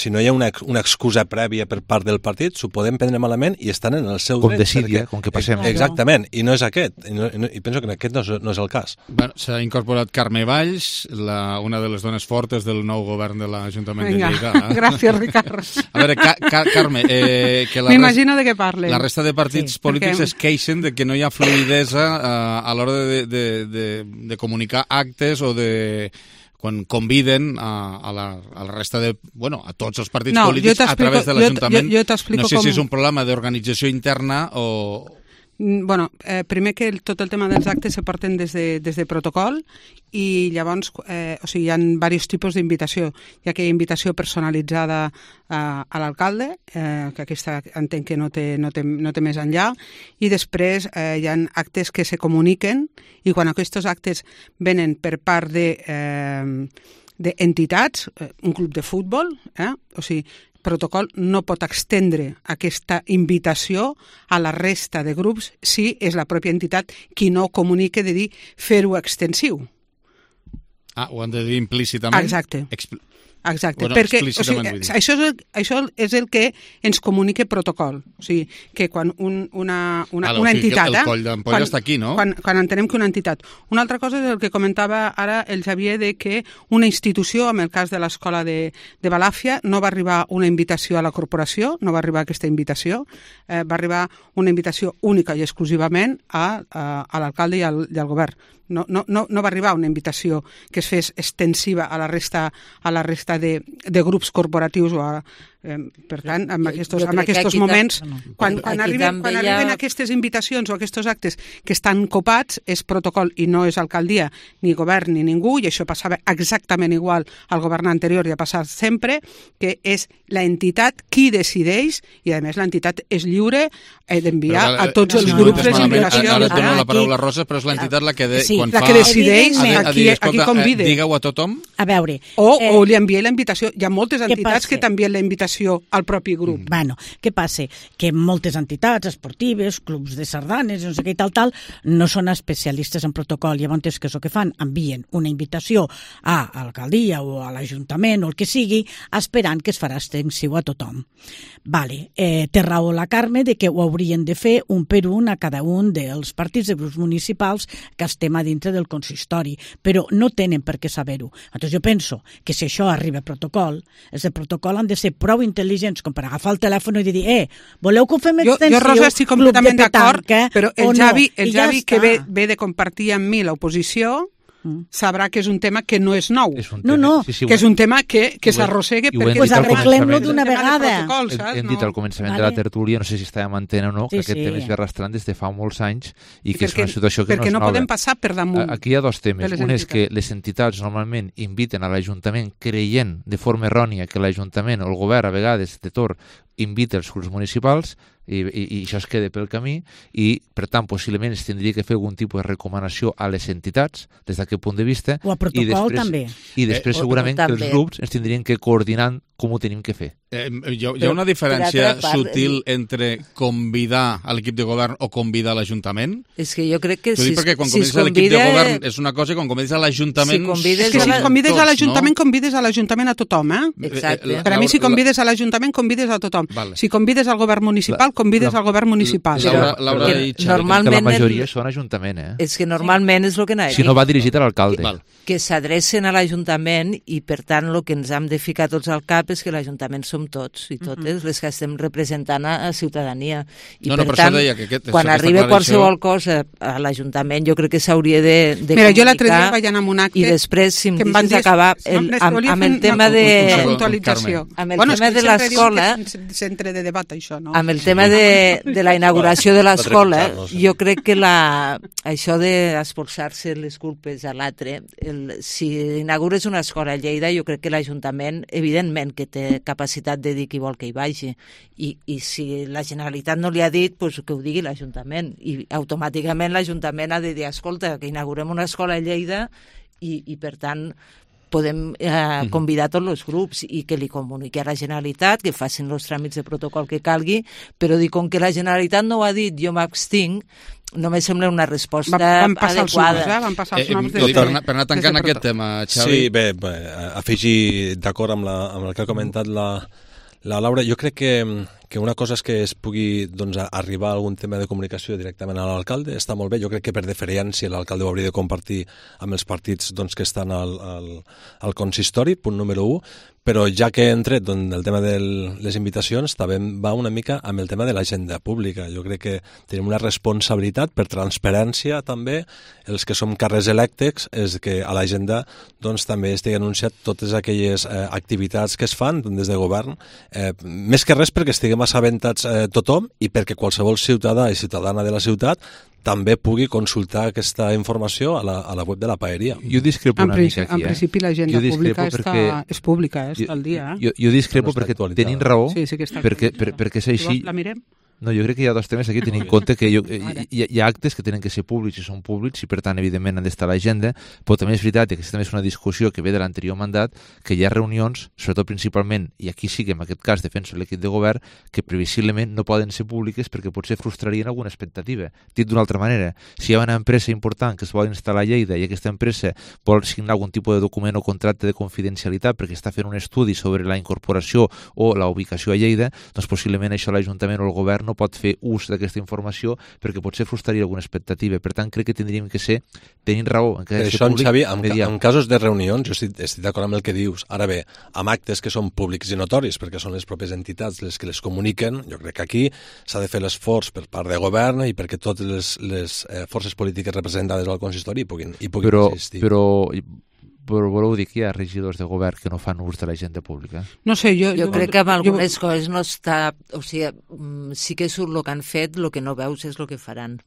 si no hi ha una excusa prèvia per part del partit, s'ho podem prendre malament i estan en el seu dret. Com desídia, com que passem. Exactament, i no és aquest, i penso que aquest no és el cas. Bueno, s'ha incorporat Carme Valls, una de les dones fortes del nou govern de l'Ajuntament de Lleida. Gràcies, Ricard. A veure, Carme, m'imagino de què parlen. La resta de partits polítics es queixen de que no hi ha fluïdesa a l'hora de comunicar actes o de... quan conviden a la resta de... Bueno, a tots els partits polítics a través de l'Ajuntament. Jo t'explico no sé si és un problema d'organització interna o... Bueno, primer que tot el tema dels actes se porten des de protocol i llavors hi ha diversos tipus d'invitació. Hi ha aquella invitació personalitzada a l'alcalde, que aquesta entenc que no té més enllà, i després hi ha actes que se comuniquen i quan aquests actes venen per part d'entitats, un club de futbol, o sigui, protocol no pot extendre aquesta invitació a la resta de grups si és la pròpia entitat qui no comunique de dir fer-ho extensiu. Ho han de dir implícitament? Exacte. Exacte, perquè això és el que ens comunica protocol. O sigui, que quan una entitat... El coll d'ampolla està aquí, no? Quan entenem que una entitat... Una altra cosa és el que comentava ara el Xavier, de que una institució, en el cas de l'escola de Balàfia, no va arribar una invitació a la corporació, no va arribar aquesta invitació, va arribar una invitació única i exclusivament a l'alcalde i al govern. No va arribar una invitació que es fes extensiva a la resta de grups corporatius per tant, en aquests moments quan arriben aquestes invitacions o aquests actes que estan copats és protocol i no és alcaldia ni govern ni ningú, i això passava exactament igual al govern anterior i ha passat sempre, que és l'entitat qui decideix, i a més l'entitat és lliure d'enviar a tots els grups les invitacions. Ara et dono la paraula, Rosa, però és l'entitat la que decideix a qui convida. Digue-ho a tothom. A veure... O li envia la invitació. Hi ha moltes entitats que t'envien la invitació al propi grup. Bueno, què passa? Que moltes entitats esportives, clubs de sardanes, no sé què i tal, no són especialistes en protocol. Llavors, què és el que fan? Envien una invitació a l'alcaldia o a l'Ajuntament o el que sigui, esperant que es farà extensiu a tothom. Vale. Té raó la Carme de que ho haurien de fer un per un a cada un dels partits de grups municipals que estem a dintre del consistori, però no tenen per què saber-ho. Llavors jo penso que si això arriba a protocol, els de protocol han de ser prou intel·ligents com per agafar el telèfon i dir voleu que ho fem extensiu? Jo, Rosa, estic completament d'acord, però el Javi que ve de compartir amb mi l'oposició sabrà que és un tema que no és nou. Que és un tema que s'arrossega perquè... Doncs arreglem-lo d'una vegada. Hem dit al començament de la tertúlia, no sé si estàvem en antena o no, que aquest tema es ve arrastrant des de fa molts anys i que és una situació que no és nova. Perquè no podem passar per damunt. Aquí hi ha dos temes. Un és que les entitats normalment inviten a l'Ajuntament creient de forma errònia que l'Ajuntament o el govern a vegades de torn invita els grups municipals i això es queda pel camí i, per tant, possiblement es tindria que fer algun tipus de recomanació a les entitats des d'aquest punt de vista. O a protocol també. I després segurament que els grups ens tindrien que coordinar com ho tenim que fer. Hi ha una diferència sutil entre convidar a l'equip de govern o convidar a l'Ajuntament? És que jo crec que si perquè quan convides a l'equip de govern és una cosa i quan convides a l'Ajuntament... És que si convides a l'Ajuntament, convides a l'Ajuntament a tothom, Exacte. Per a mi, si convides a l'Ajuntament, convides a tothom. Si convides al govern municipal, convides al govern municipal. Normalment... La majoria són Ajuntament, És que normalment és el que si no va dirigit a l'alcalde. Que s'adrecen a l'Ajuntament i, per tant, el que ens hem de ficar tots al cap és que l'Ajuntament som tots i totes les que estem representant a ciutadania. I per tant, quan arriba qualsevol cosa a l'Ajuntament, jo crec que s'hauria de comunicar. Mira, jo l'altre dia vaig anar amb un acte i després, si em deixes acabar, amb el tema de... Amb el tema de l'escola... Centre de debat, això, no? Amb el tema de la inauguració de l'escola, jo crec que això d'espolsar-se les culpes a l'altre, si inaugures una escola a Lleida, jo crec que l'Ajuntament, evidentment, que té capacitat de dir qui vol que hi vagi. I si la Generalitat no li ha dit, doncs que ho digui l'Ajuntament. I automàticament l'Ajuntament ha de dir, escolta, que inaugurem una escola a Lleida i per tant, podem convidar tots els grups i que li comuniqui a la Generalitat, que facin els tràmits de protocol que calgui, però dir, com que la Generalitat no ho ha dit, jo m'abstinc, no me sembla una resposta adequada. Van passar els noms. Per anar tancant aquest tema, Xavi. Sí, bé, afegir d'acord amb el que ha comentat la Laura, jo crec que una cosa és que es pugui arribar a algun tema de comunicació directament a l'alcalde, està molt bé. Jo crec que per deferència l'alcalde ho hauria de compartir amb els partits que estan al consistori, punt número 1, però ja que hem tret el tema de les invitacions, també va una mica amb el tema de l'agenda pública. Jo crec que tenim una responsabilitat per transparència també, els que som càrrecs electes, és que a l'agenda també estigui anunciat totes aquelles activitats que es fan des de govern, més que res perquè estiguem estiguem assabentats tothom i perquè qualsevol ciutadà i ciutadana de la ciutat també pugui consultar aquesta informació a la web de la paeria. Jo discrepo una mica aquí. En principi l'agenda pública és pública, està al dia. Jo discrepo perquè tenim raó, perquè és així. La mirem? No, jo crec que hi ha dos temes aquí, tenint en compte que hi ha actes que tenen que ser públics i són públics i per tant evidentment han d'estar a l'agenda, però també és veritat, i aquesta també és una discussió que ve de l'anterior mandat, que hi ha reunions, sobretot principalment, i aquí sí que en aquest cas defenso l'equip de govern, que previsiblement no poden ser públiques perquè potser frustrarien alguna expectativa. Dit d'una altra manera, si hi ha una empresa important que es vol instal·lar a Lleida i aquesta empresa vol signar algun tipus de document o contracte de confidencialitat perquè està fent un estudi sobre la incorporació o la ubicació a Lleida, doncs possiblement això l'Ajuntament o el govern no pot fer ús d'aquesta informació perquè potser frustraria alguna expectativa. Per tant, crec que tindríem que ser, tenint raó, en que això, Xavi, en casos de reunions, jo estic d'acord amb el que dius. Ara bé, amb actes que són públics i notoris, perquè són les pròpies entitats les que les comuniquen, jo crec que aquí s'ha de fer l'esforç per part de govern i perquè totes les forces polítiques representades al consistori puguin existir. Però voleu dir que hi ha regidors de govern que no fan ús de l'agenda pública? No sé, jo crec que amb algunes coses no està... O sigui, sí que surt el que han fet, el que no veus és el que faran.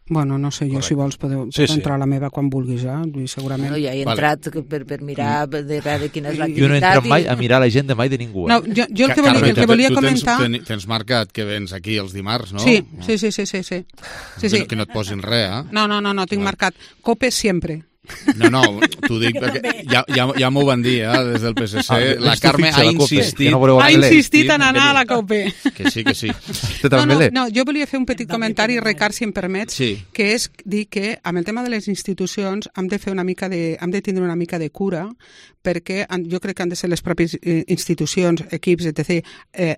Bueno, no sé, jo si vols podeu entrar a la meva quan vulguis, segurament. No, ja he entrat per mirar de veure quina és l'activitat. Jo no he entrat mai a mirar l'agenda mai de ningú. No, jo el que volia comentar... Tens marcat que vens aquí els dimarts, no? Sí. Que no et posin res, eh? No, tinc marcat COPE sempre. No, t'ho dic perquè ja m'ho van dir, des del PSC. La Carme ha insistit. Ha insistit en anar a la COPE. Que sí. No, jo volia fer un petit comentari, Ricard, si em permets, que és dir que amb el tema de les institucions hem de tindre una mica de cura, perquè jo crec que han de ser les pròpies institucions, equips, etc.,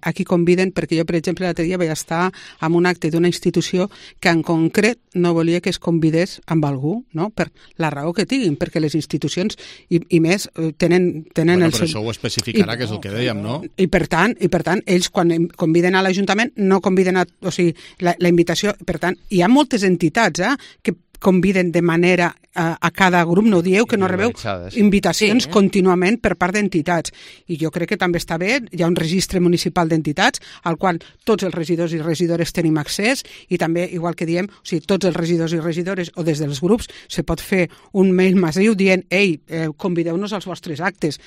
a qui conviden, perquè jo, per exemple, l'altre dia vaig estar en un acte d'una institució que en concret no volia que es convidés amb algú, no? Per la raó que tinguin, perquè les institucions i més tenen el seu... Però això ho especificarà, que és el que dèiem, no? I per tant, ells quan conviden a l'Ajuntament no conviden o sigui, la invitació, per tant, hi ha moltes entitats que conviden de manera a cada grup, no dieu que no rebeu invitacions contínuament per part d'entitats. I jo crec que també està bé, hi ha un registre municipal d'entitats al qual tots els regidors i regidores tenim accés i també, igual que diem, o sigui, tots els regidors i regidores o des dels grups se pot fer un mail massiu dient convideu-nos als vostres actes.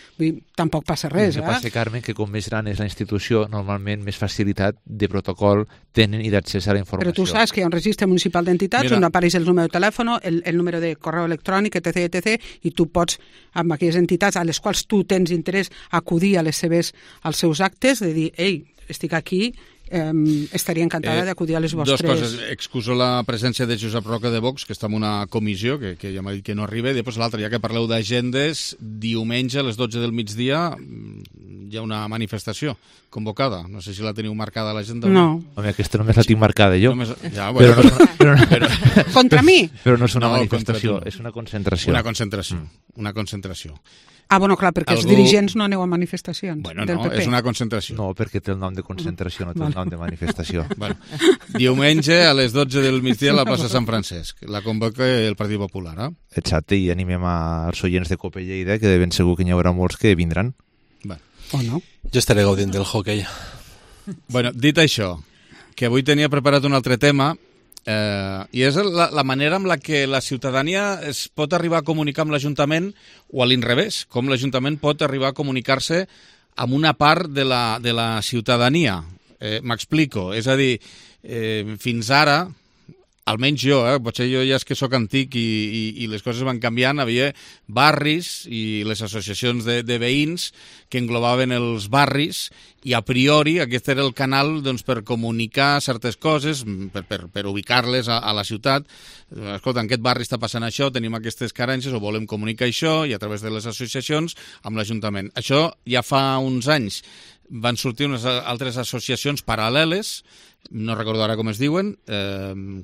Tampoc passa res. El que passa, Carme, que com més gran és la institució, normalment més facilitat de protocol tenen i d'accés a la informació. Però tu saps que hi ha un registre municipal d'entitats on apareix el número de telèfon, el número de correu electrònic, etc., i tu pots, amb aquelles entitats a les quals tu tens interès, acudir als seus actes, de dir, estic aquí, estaria encantada d'acudir a les vostres... Dos coses. Excuso la presència de Josep Roca de Vox, que està en una comissió, que ja m'ha dit que no arriba, i després l'altra, ja que parleu d'agendes, diumenge a les 12 del migdia hi ha una manifestació convocada. No sé si la teniu marcada a l'agenda. No. Home, aquesta només la tinc marcada jo. Contra mi? Però no és una manifestació, és una concentració. Una concentració. Bueno, clar, perquè els dirigents no aneu a manifestacions del PP. És una concentració. No, perquè té el nom de concentració, no té el nom de manifestació. Diumenge a les 12 del migdia a la plaça Sant Francesc. La convoca el Partit Popular, Exacte, i animem als oients de COPE Lleida, que de ben segur que n'hi haurà molts que vindran. O no? Jo estaré gaudint del hockey. Bueno, dit això, que avui tenia preparat un altre tema, i és la manera amb la que la ciutadania es pot arribar a comunicar amb l'Ajuntament o a l'inrevés, com l'Ajuntament pot arribar a comunicar-se amb una part de la ciutadania. M'explico, és a dir, fins ara, almenys jo, potser jo ja és que sóc antic i les coses van canviant, havia barris i les associacions de veïns que englobaven els barris i a priori aquest era el canal per comunicar certes coses, per ubicar-les a la ciutat. Escolta, en aquest barri està passant això, tenim aquestes carències o volem comunicar això, i a través de les associacions amb l'Ajuntament. Això ja fa uns anys van sortir unes altres associacions paral·leles, no recordo ara com es diuen,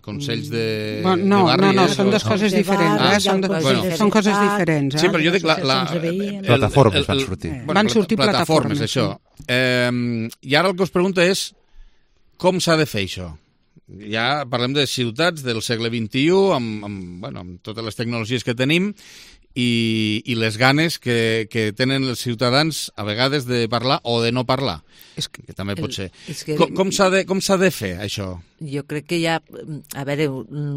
consells de barri. No, són dues coses diferents. Són coses diferents. Sí, però jo dic plataformes van sortir. Van sortir plataformes, això. I ara el que us pregunto és com s'ha de fer això? Ja parlem de ciutats del segle XXI, amb totes les tecnologies que tenim, i les ganes que tenen els ciutadans a vegades de parlar o de no parlar, que també pot ser. Com s'ha de fer, això? Jo crec que ja, a veure,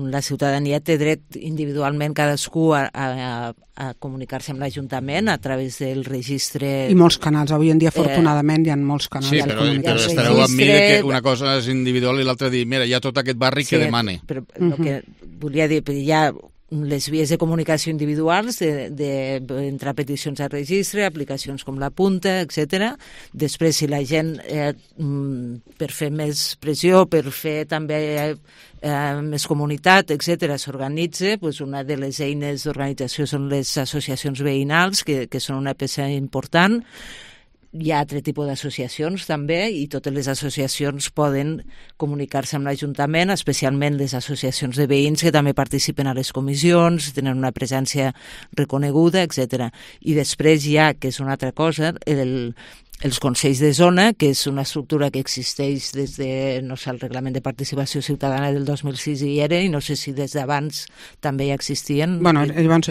la ciutadania té dret individualment cadascú a comunicar-se amb l'Ajuntament a través del registre... I molts canals, avui en dia, afortunadament, hi ha molts canals. Sí, però estareu amb mi que una cosa és individual i l'altra dir, mira, hi ha tot aquest barri que demane. Però el que volia dir, hi ha les vies de comunicació individuals, d'entrar peticions al registre, aplicacions com la Punta, etc. Després, si la gent, per fer més pressió, per fer també més comunitat, etc., s'organitza, una de les eines d'organització són les associacions veïnals, que són una peça important. Hi ha altre tipus d'associacions també, i totes les associacions poden comunicar-se amb l'Ajuntament, especialment les associacions de veïns que també participen a les comissions, tenen una presència reconeguda, etc. I després hi ha, que és una altra cosa, els consells de zona, que és una estructura que existeix des de, no sé, el Reglament de Participació Ciutadana del 2006 hi era, i no sé si des d'abans també ja existien. Bueno, llavors,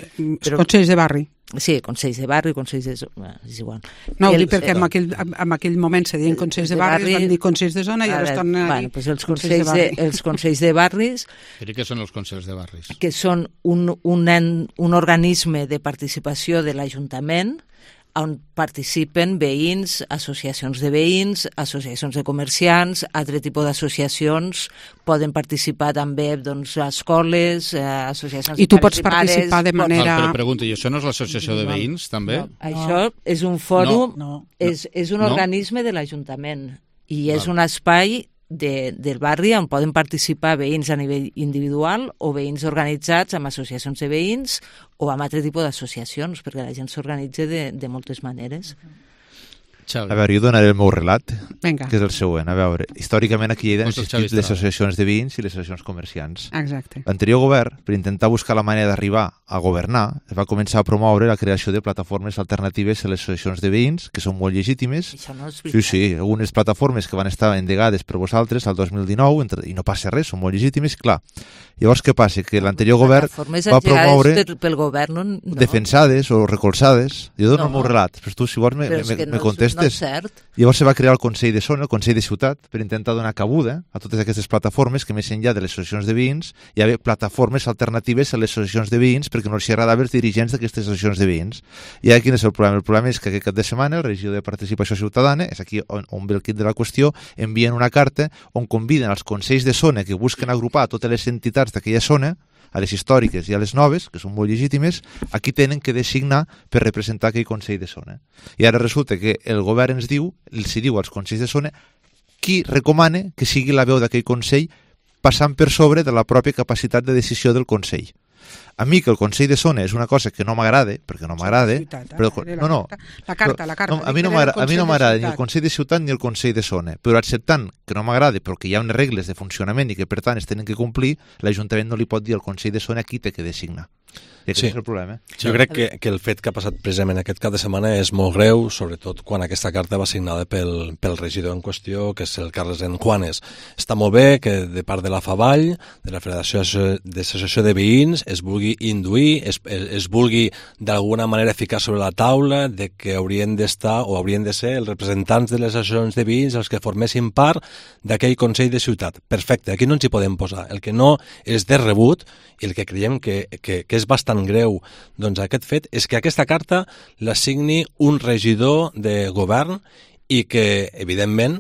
consells de barri. Sí, consells de barri, consells de zona, és igual. No, ho dic perquè en aquell moment se deien consells de barri, es van dir consells de zona i ara es tornen a dir consells de barri. Els consells de barris... I què són els consells de barris? Que són un organisme de participació de l'Ajuntament on participen veïns, associacions de veïns, associacions de comerciants, altre tipus d'associacions, poden participar també escoles, associacions de pares i mares... I tu pots participar de manera... Però pregunta, i això no és l'associació de veïns, també? No, això és un fòrum, és un organisme de l'Ajuntament i és un espai del barri on poden participar veïns a nivell individual o veïns organitzats amb associacions de veïns o amb altre tipus d'associacions, perquè la gent s'organitza de moltes maneres. A veure, jo donaré el meu relat, Venga. Que és el següent. A veure, històricament aquí han existit les associacions de veïns i les associacions comerciants. Exacte. L'anterior govern, per intentar buscar la manera d'arribar a governar, va començar a promoure la creació de plataformes alternatives a les associacions de veïns, que són molt legítimes. Sí, algunes plataformes que van estar endegades per vosaltres al 2019, i no passa res, són molt legítimes, clar. Llavors, què passa? Que l'anterior govern va promoure pel govern, defensades o recolzades. Jo dono el meu relat, però tu, si vols, me contestes. Llavors se va crear el Consell de Zona, el Consell de Ciutat, per intentar donar cabuda a totes aquestes plataformes que, més enllà de les associacions de veïns, hi havia plataformes alternatives a les associacions de veïns perquè no els agradava els dirigents d'aquestes associacions de veïns. I ara quin és el problema? El problema és que aquest cap de setmana el regidor de Participació Ciutadana, és aquí on ve el quid de la qüestió, envien una carta on conviden els consells de zona que busquen agrupar totes les entitats d'aquella zona, a les històriques i a les noves, que són molt legítimes, aquí tenen que designar per representar aquell Consell de Zona. I ara resulta que el govern els diu als Consells de Zona qui recomana que sigui la veu d'aquell Consell passant per sobre de la pròpia capacitat de decisió del Consell. A mi que el Consell de Zona és una cosa que no m'agrada, perquè no m'agrada... La carta. A mi no m'agrada ni el Consell de Ciutat ni el Consell de Zona, però acceptant que no m'agrada perquè hi ha unes regles de funcionament i que per tant es tenen que complir, l'Ajuntament no li pot dir al Consell de Zona qui té que designar. I aquest és el problema. Jo crec que el fet que ha passat precisament aquest cap de setmana és molt greu, sobretot quan aquesta carta va signada pel regidor en qüestió, que és el Carles Juanes. Està molt bé que de part de la FAVall, de la Federació d'Associació de Veïns, es vulgui induir, es vulgui d'alguna manera ficar sobre la taula de que haurien d'estar o haurien de ser els representants de les associacions de veïns els que formessin part d'aquell Consell de Ciutat. Perfecte, aquí no ens hi podem posar. El que no és de rebut i el que creiem que és bastant greu, doncs aquest fet és que aquesta carta la signi un regidor de govern i que, evidentment,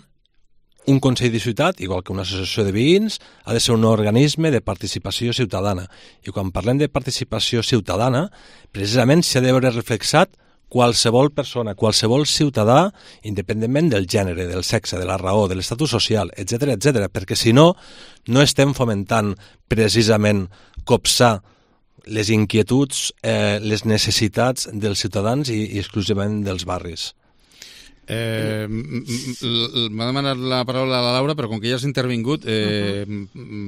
un Consell de Ciutat, igual que una associació de veïns, ha de ser un organisme de participació ciutadana. I quan parlem de participació ciutadana, precisament s'ha de veure reflexat qualsevol persona, qualsevol ciutadà, independentment del gènere, del sexe, de la raó, de l'estatus social, etc, perquè si no, no estem fomentant precisament copsar les inquietuds, les necessitats dels ciutadans i exclusivament dels barris. M'ha demanat la paraula a la Laura, però com que ja has intervingut,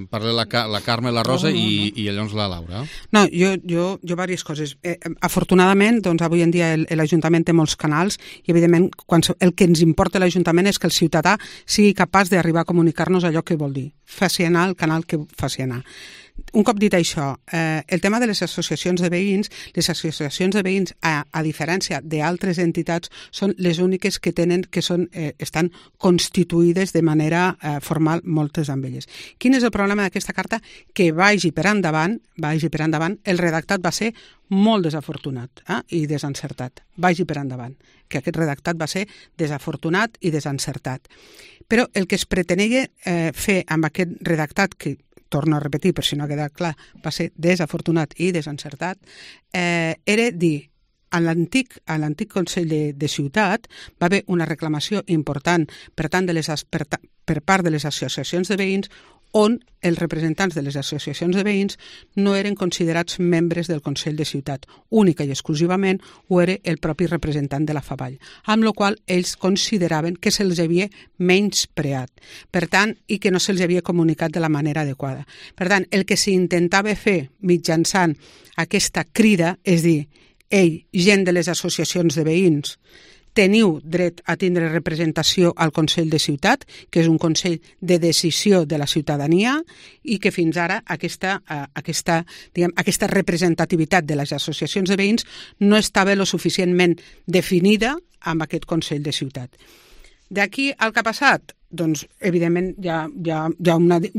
parla la Carme, la Rosa i llavors la Laura. No, jo diverses coses. Afortunadament, doncs, avui en dia l'Ajuntament té molts canals i, evidentment, el que ens importa a l'Ajuntament és que el ciutadà sigui capaç d'arribar a comunicar-nos allò que vol dir. Faci anar el canal que faci anar. un cop dit això, el tema de les associacions de veïns, a diferència d'altres entitats, són les úniques que tenen, estan constituïdes de manera formal, moltes amb elles. Quin és el problema d'aquesta carta? Que vagi per endavant, el redactat va ser molt desafortunat i desencertat. Vagi per endavant, que aquest redactat va ser desafortunat i desencertat. Però el que es pretenia fer amb aquest redactat, que torno a repetir per si no ha quedat clar, va ser desafortunat i desencertat, era dir, a l'antic Consell de Ciutat va haver una reclamació important per part de les associacions de veïns, on els representants de les associacions de veïns no eren considerats membres del Consell de Ciutat. Única i exclusivament ho era el propi representant de la Favall, amb la qual ells consideraven que se'ls havia menyspreat, per tant, i que no se'ls havia comunicat de la manera adequada. Per tant, el que s'intentava fer mitjançant aquesta crida és dir, gent de les associacions de veïns, teniu dret a tindre representació al Consell de Ciutat, que és un consell de decisió de la ciutadania, i que fins ara aquesta representativitat de les associacions de veïns no estava lo suficientment definida amb aquest Consell de Ciutat. D'aquí al que ha passat? Doncs, evidentment, hi ha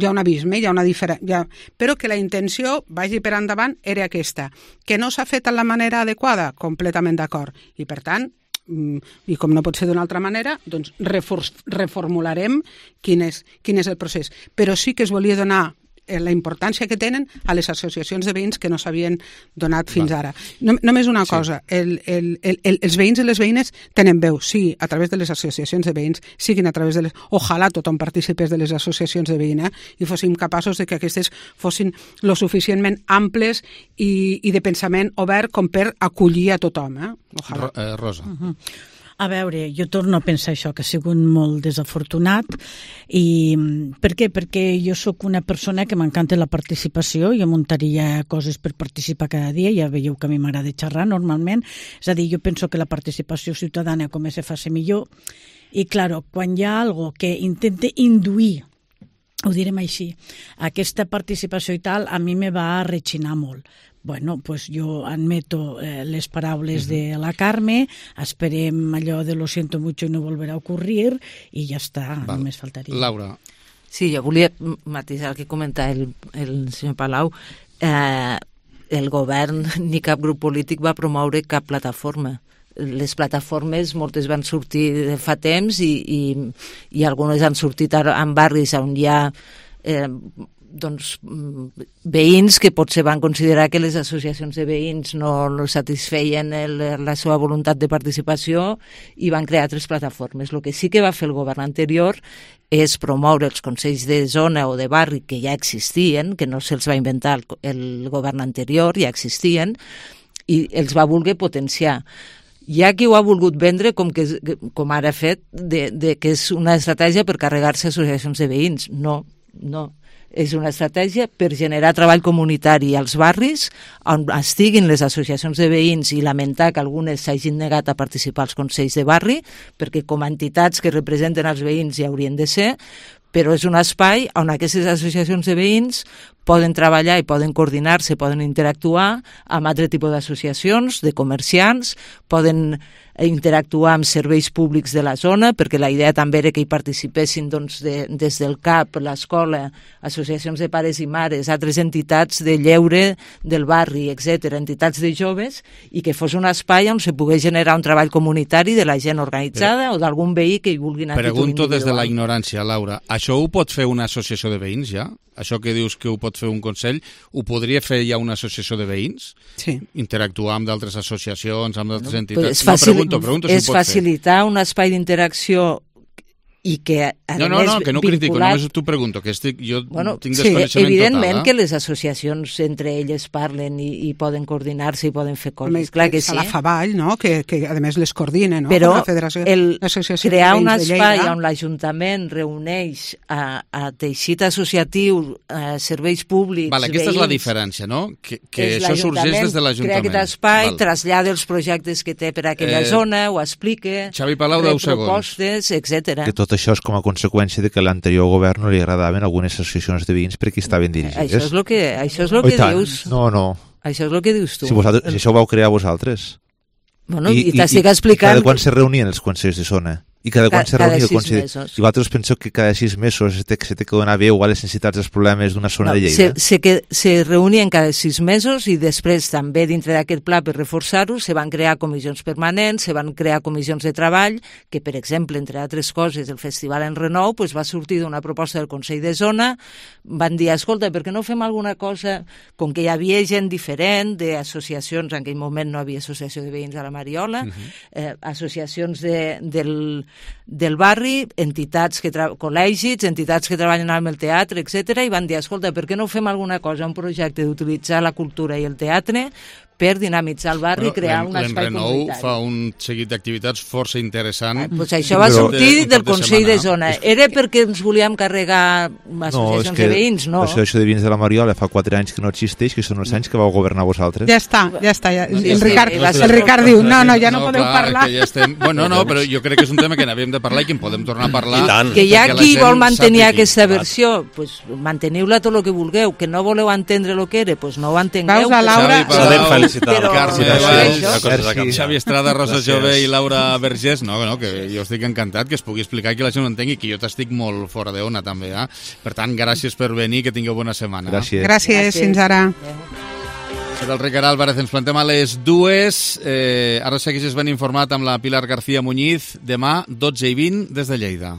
un abisme, hi ha una diferència, però que la intenció, vagi per endavant, era aquesta. Que no s'ha fet de la manera adequada? Completament d'acord. I, per tant, i com no pot ser d'una altra manera, doncs reformularem quin és el procés. Però sí que es volia donar la importància que tenen a les associacions de veïns que no s'havien donat fins ara. Només una cosa, els veïns i les veïnes tenen veu, sí, a través de les associacions de veïns, siguin a través de les... Ojalà tothom participés de les associacions de veïns i fóssim capaços de que aquestes fossin lo suficientment amples i de pensament obert com per acollir a tothom. Ojalà. Rosa. A veure, jo torno a pensar això, que ha sigut molt desafortunat. I per què? Perquè jo sóc una persona que m'encanta la participació, jo muntaria coses per participar cada dia, ja veieu que a mi m'agrada xerrar normalment, és a dir, jo penso que la participació ciutadana com se fa millor, i claro, quan hi ha algo que intente induir, ho direm així, aquesta participació i tal, a mi me va rechinar molt. Bueno, pues jo admeto les paraules de la Carme, esperem allò de lo siento mucho y no volverá a ocurrir i ja està, només faltaria. Laura. Sí, jo volia matisar el que comenta el senyor Palau. El govern ni cap grup polític va promoure cap plataforma. Les plataformes moltes van sortir fa temps i algunes han sortit en barris on hi ha veïns que potser van considerar que les associacions de veïns no satisfeien la seva voluntat de participació i van crear altres plataformes. El que sí que va fer el govern anterior és promoure els consells de zona o de barri que ja existien, que no se'ls va inventar el govern anterior, ja existien, i els va voler potenciar. Hi ha qui ho ha volgut vendre com ara ha fet, que és una estratègia per carregar-se associacions de veïns. No. És una estratègia per generar treball comunitari als barris on estiguin les associacions de veïns i lamentar que algunes s'hagin negat a participar als consells de barri, perquè com a entitats que representen els veïns hi haurien de ser, però és un espai on aquestes associacions de veïns poden treballar i poden coordinar-se, poden interactuar amb altre tipus d'associacions, de comerciants, poden interactuar amb serveis públics de la zona, perquè la idea també era que hi participessin des del CAP, l'escola, associacions de pares i mares, altres entitats de lleure del barri, etc., entitats de joves, i que fos un espai on se pogués generar un treball comunitari de la gent organitzada o d'algun veí que hi vulgui anar a títol individual. Pregunto des de la ignorància, Laura, això ho pot fer una associació de veïns ja? Això que dius que ho pot fer un consell, ho podria fer ja una associació de veïns? Sí. Interactuar amb d'altres associacions, amb d'altres entitats? Pregunto si és facilitar un espai d'interacció i que, a no, que no critico, només t'ho pregunto, que jo tinc desconeixement total. Evidentment que les associacions entre elles parlen i poden coordinar-se i poden fer coses, clar que sí. A la Favall, no?, que a més les coordina, no?, però la Federació, crear un espai on l'Ajuntament reuneix a teixit associatiu, serveis públics, veïns... Aquesta és la diferència, no?, que això sorgeix des de l'Ajuntament. Crea aquest espai, trasllada els projectes que té per aquella zona, ho explica, Xavi Palau, 10 segons. propostes, etc. Que tot tot això és com a conseqüència de que a l'anterior govern no li agradaven algunes associacions de veïns perquè estaven dirigides. Això és el que dius. No. Això és el que dius tu. Si això ho vau crear vosaltres. Bueno, i t'estic explicant... I cada quan se reunien els consells de zona? I cada quan se reunia el Consell... Mesos. I vosaltres penseu que cada 6 mesos se té que donar veu a les necessitats dels problemes d'una zona de Lleida? Se reunien cada 6 mesos i després també dintre d'aquest pla per reforçar-ho se van crear comissions permanents, se van crear comissions de treball, que per exemple, entre altres coses, el Festival en Renou va sortir d'una proposta del Consell de Zona, van dir, escolta, per què no fem alguna cosa, com que hi havia gent diferent d'associacions, en aquell moment no havia associació de veïns a la Mariola, associacions del barri, entitats col·legis, entitats que treballen amb el teatre, etc. I van dir, escolta, per què no fem alguna cosa, un projecte d'utilitzar la cultura i el teatre per dinamitzar el barri i crear un espai comunitari. L'Enrenou fa un seguit d'activitats força interessant. Pues això va sortir del Consell de Zona. Era perquè ens volíem carregar associacions de veïns, no? L'associació de veïns de la Mariola fa 4 anys que no existeix, que són els anys que vau governar vosaltres. Ja està. El Ricard diu, no, ja no podeu parlar. Bueno, no, però jo crec que és un tema que n'havíem de parlar i que en podem tornar a parlar. Que hi ha qui vol mantenir aquesta versió, doncs manteniu-la tot el que vulgueu. Que no voleu entendre el que era, doncs no ho entengueu. Veus, la Laura... Xavi Estrada, Rosa Jové i Laura Vergés, que jo estic encantat que es pugui explicar, que la gent ho entengui, que jo t'estic molt fora d'ona també, per tant, gràcies per venir, que tingueu bona setmana. Gràcies, fins ara. Del Ricard Álvarez, ens plantem a les 2, ara segueixes ben informat amb la Pilar García Muñiz, demà 12:20 des de Lleida.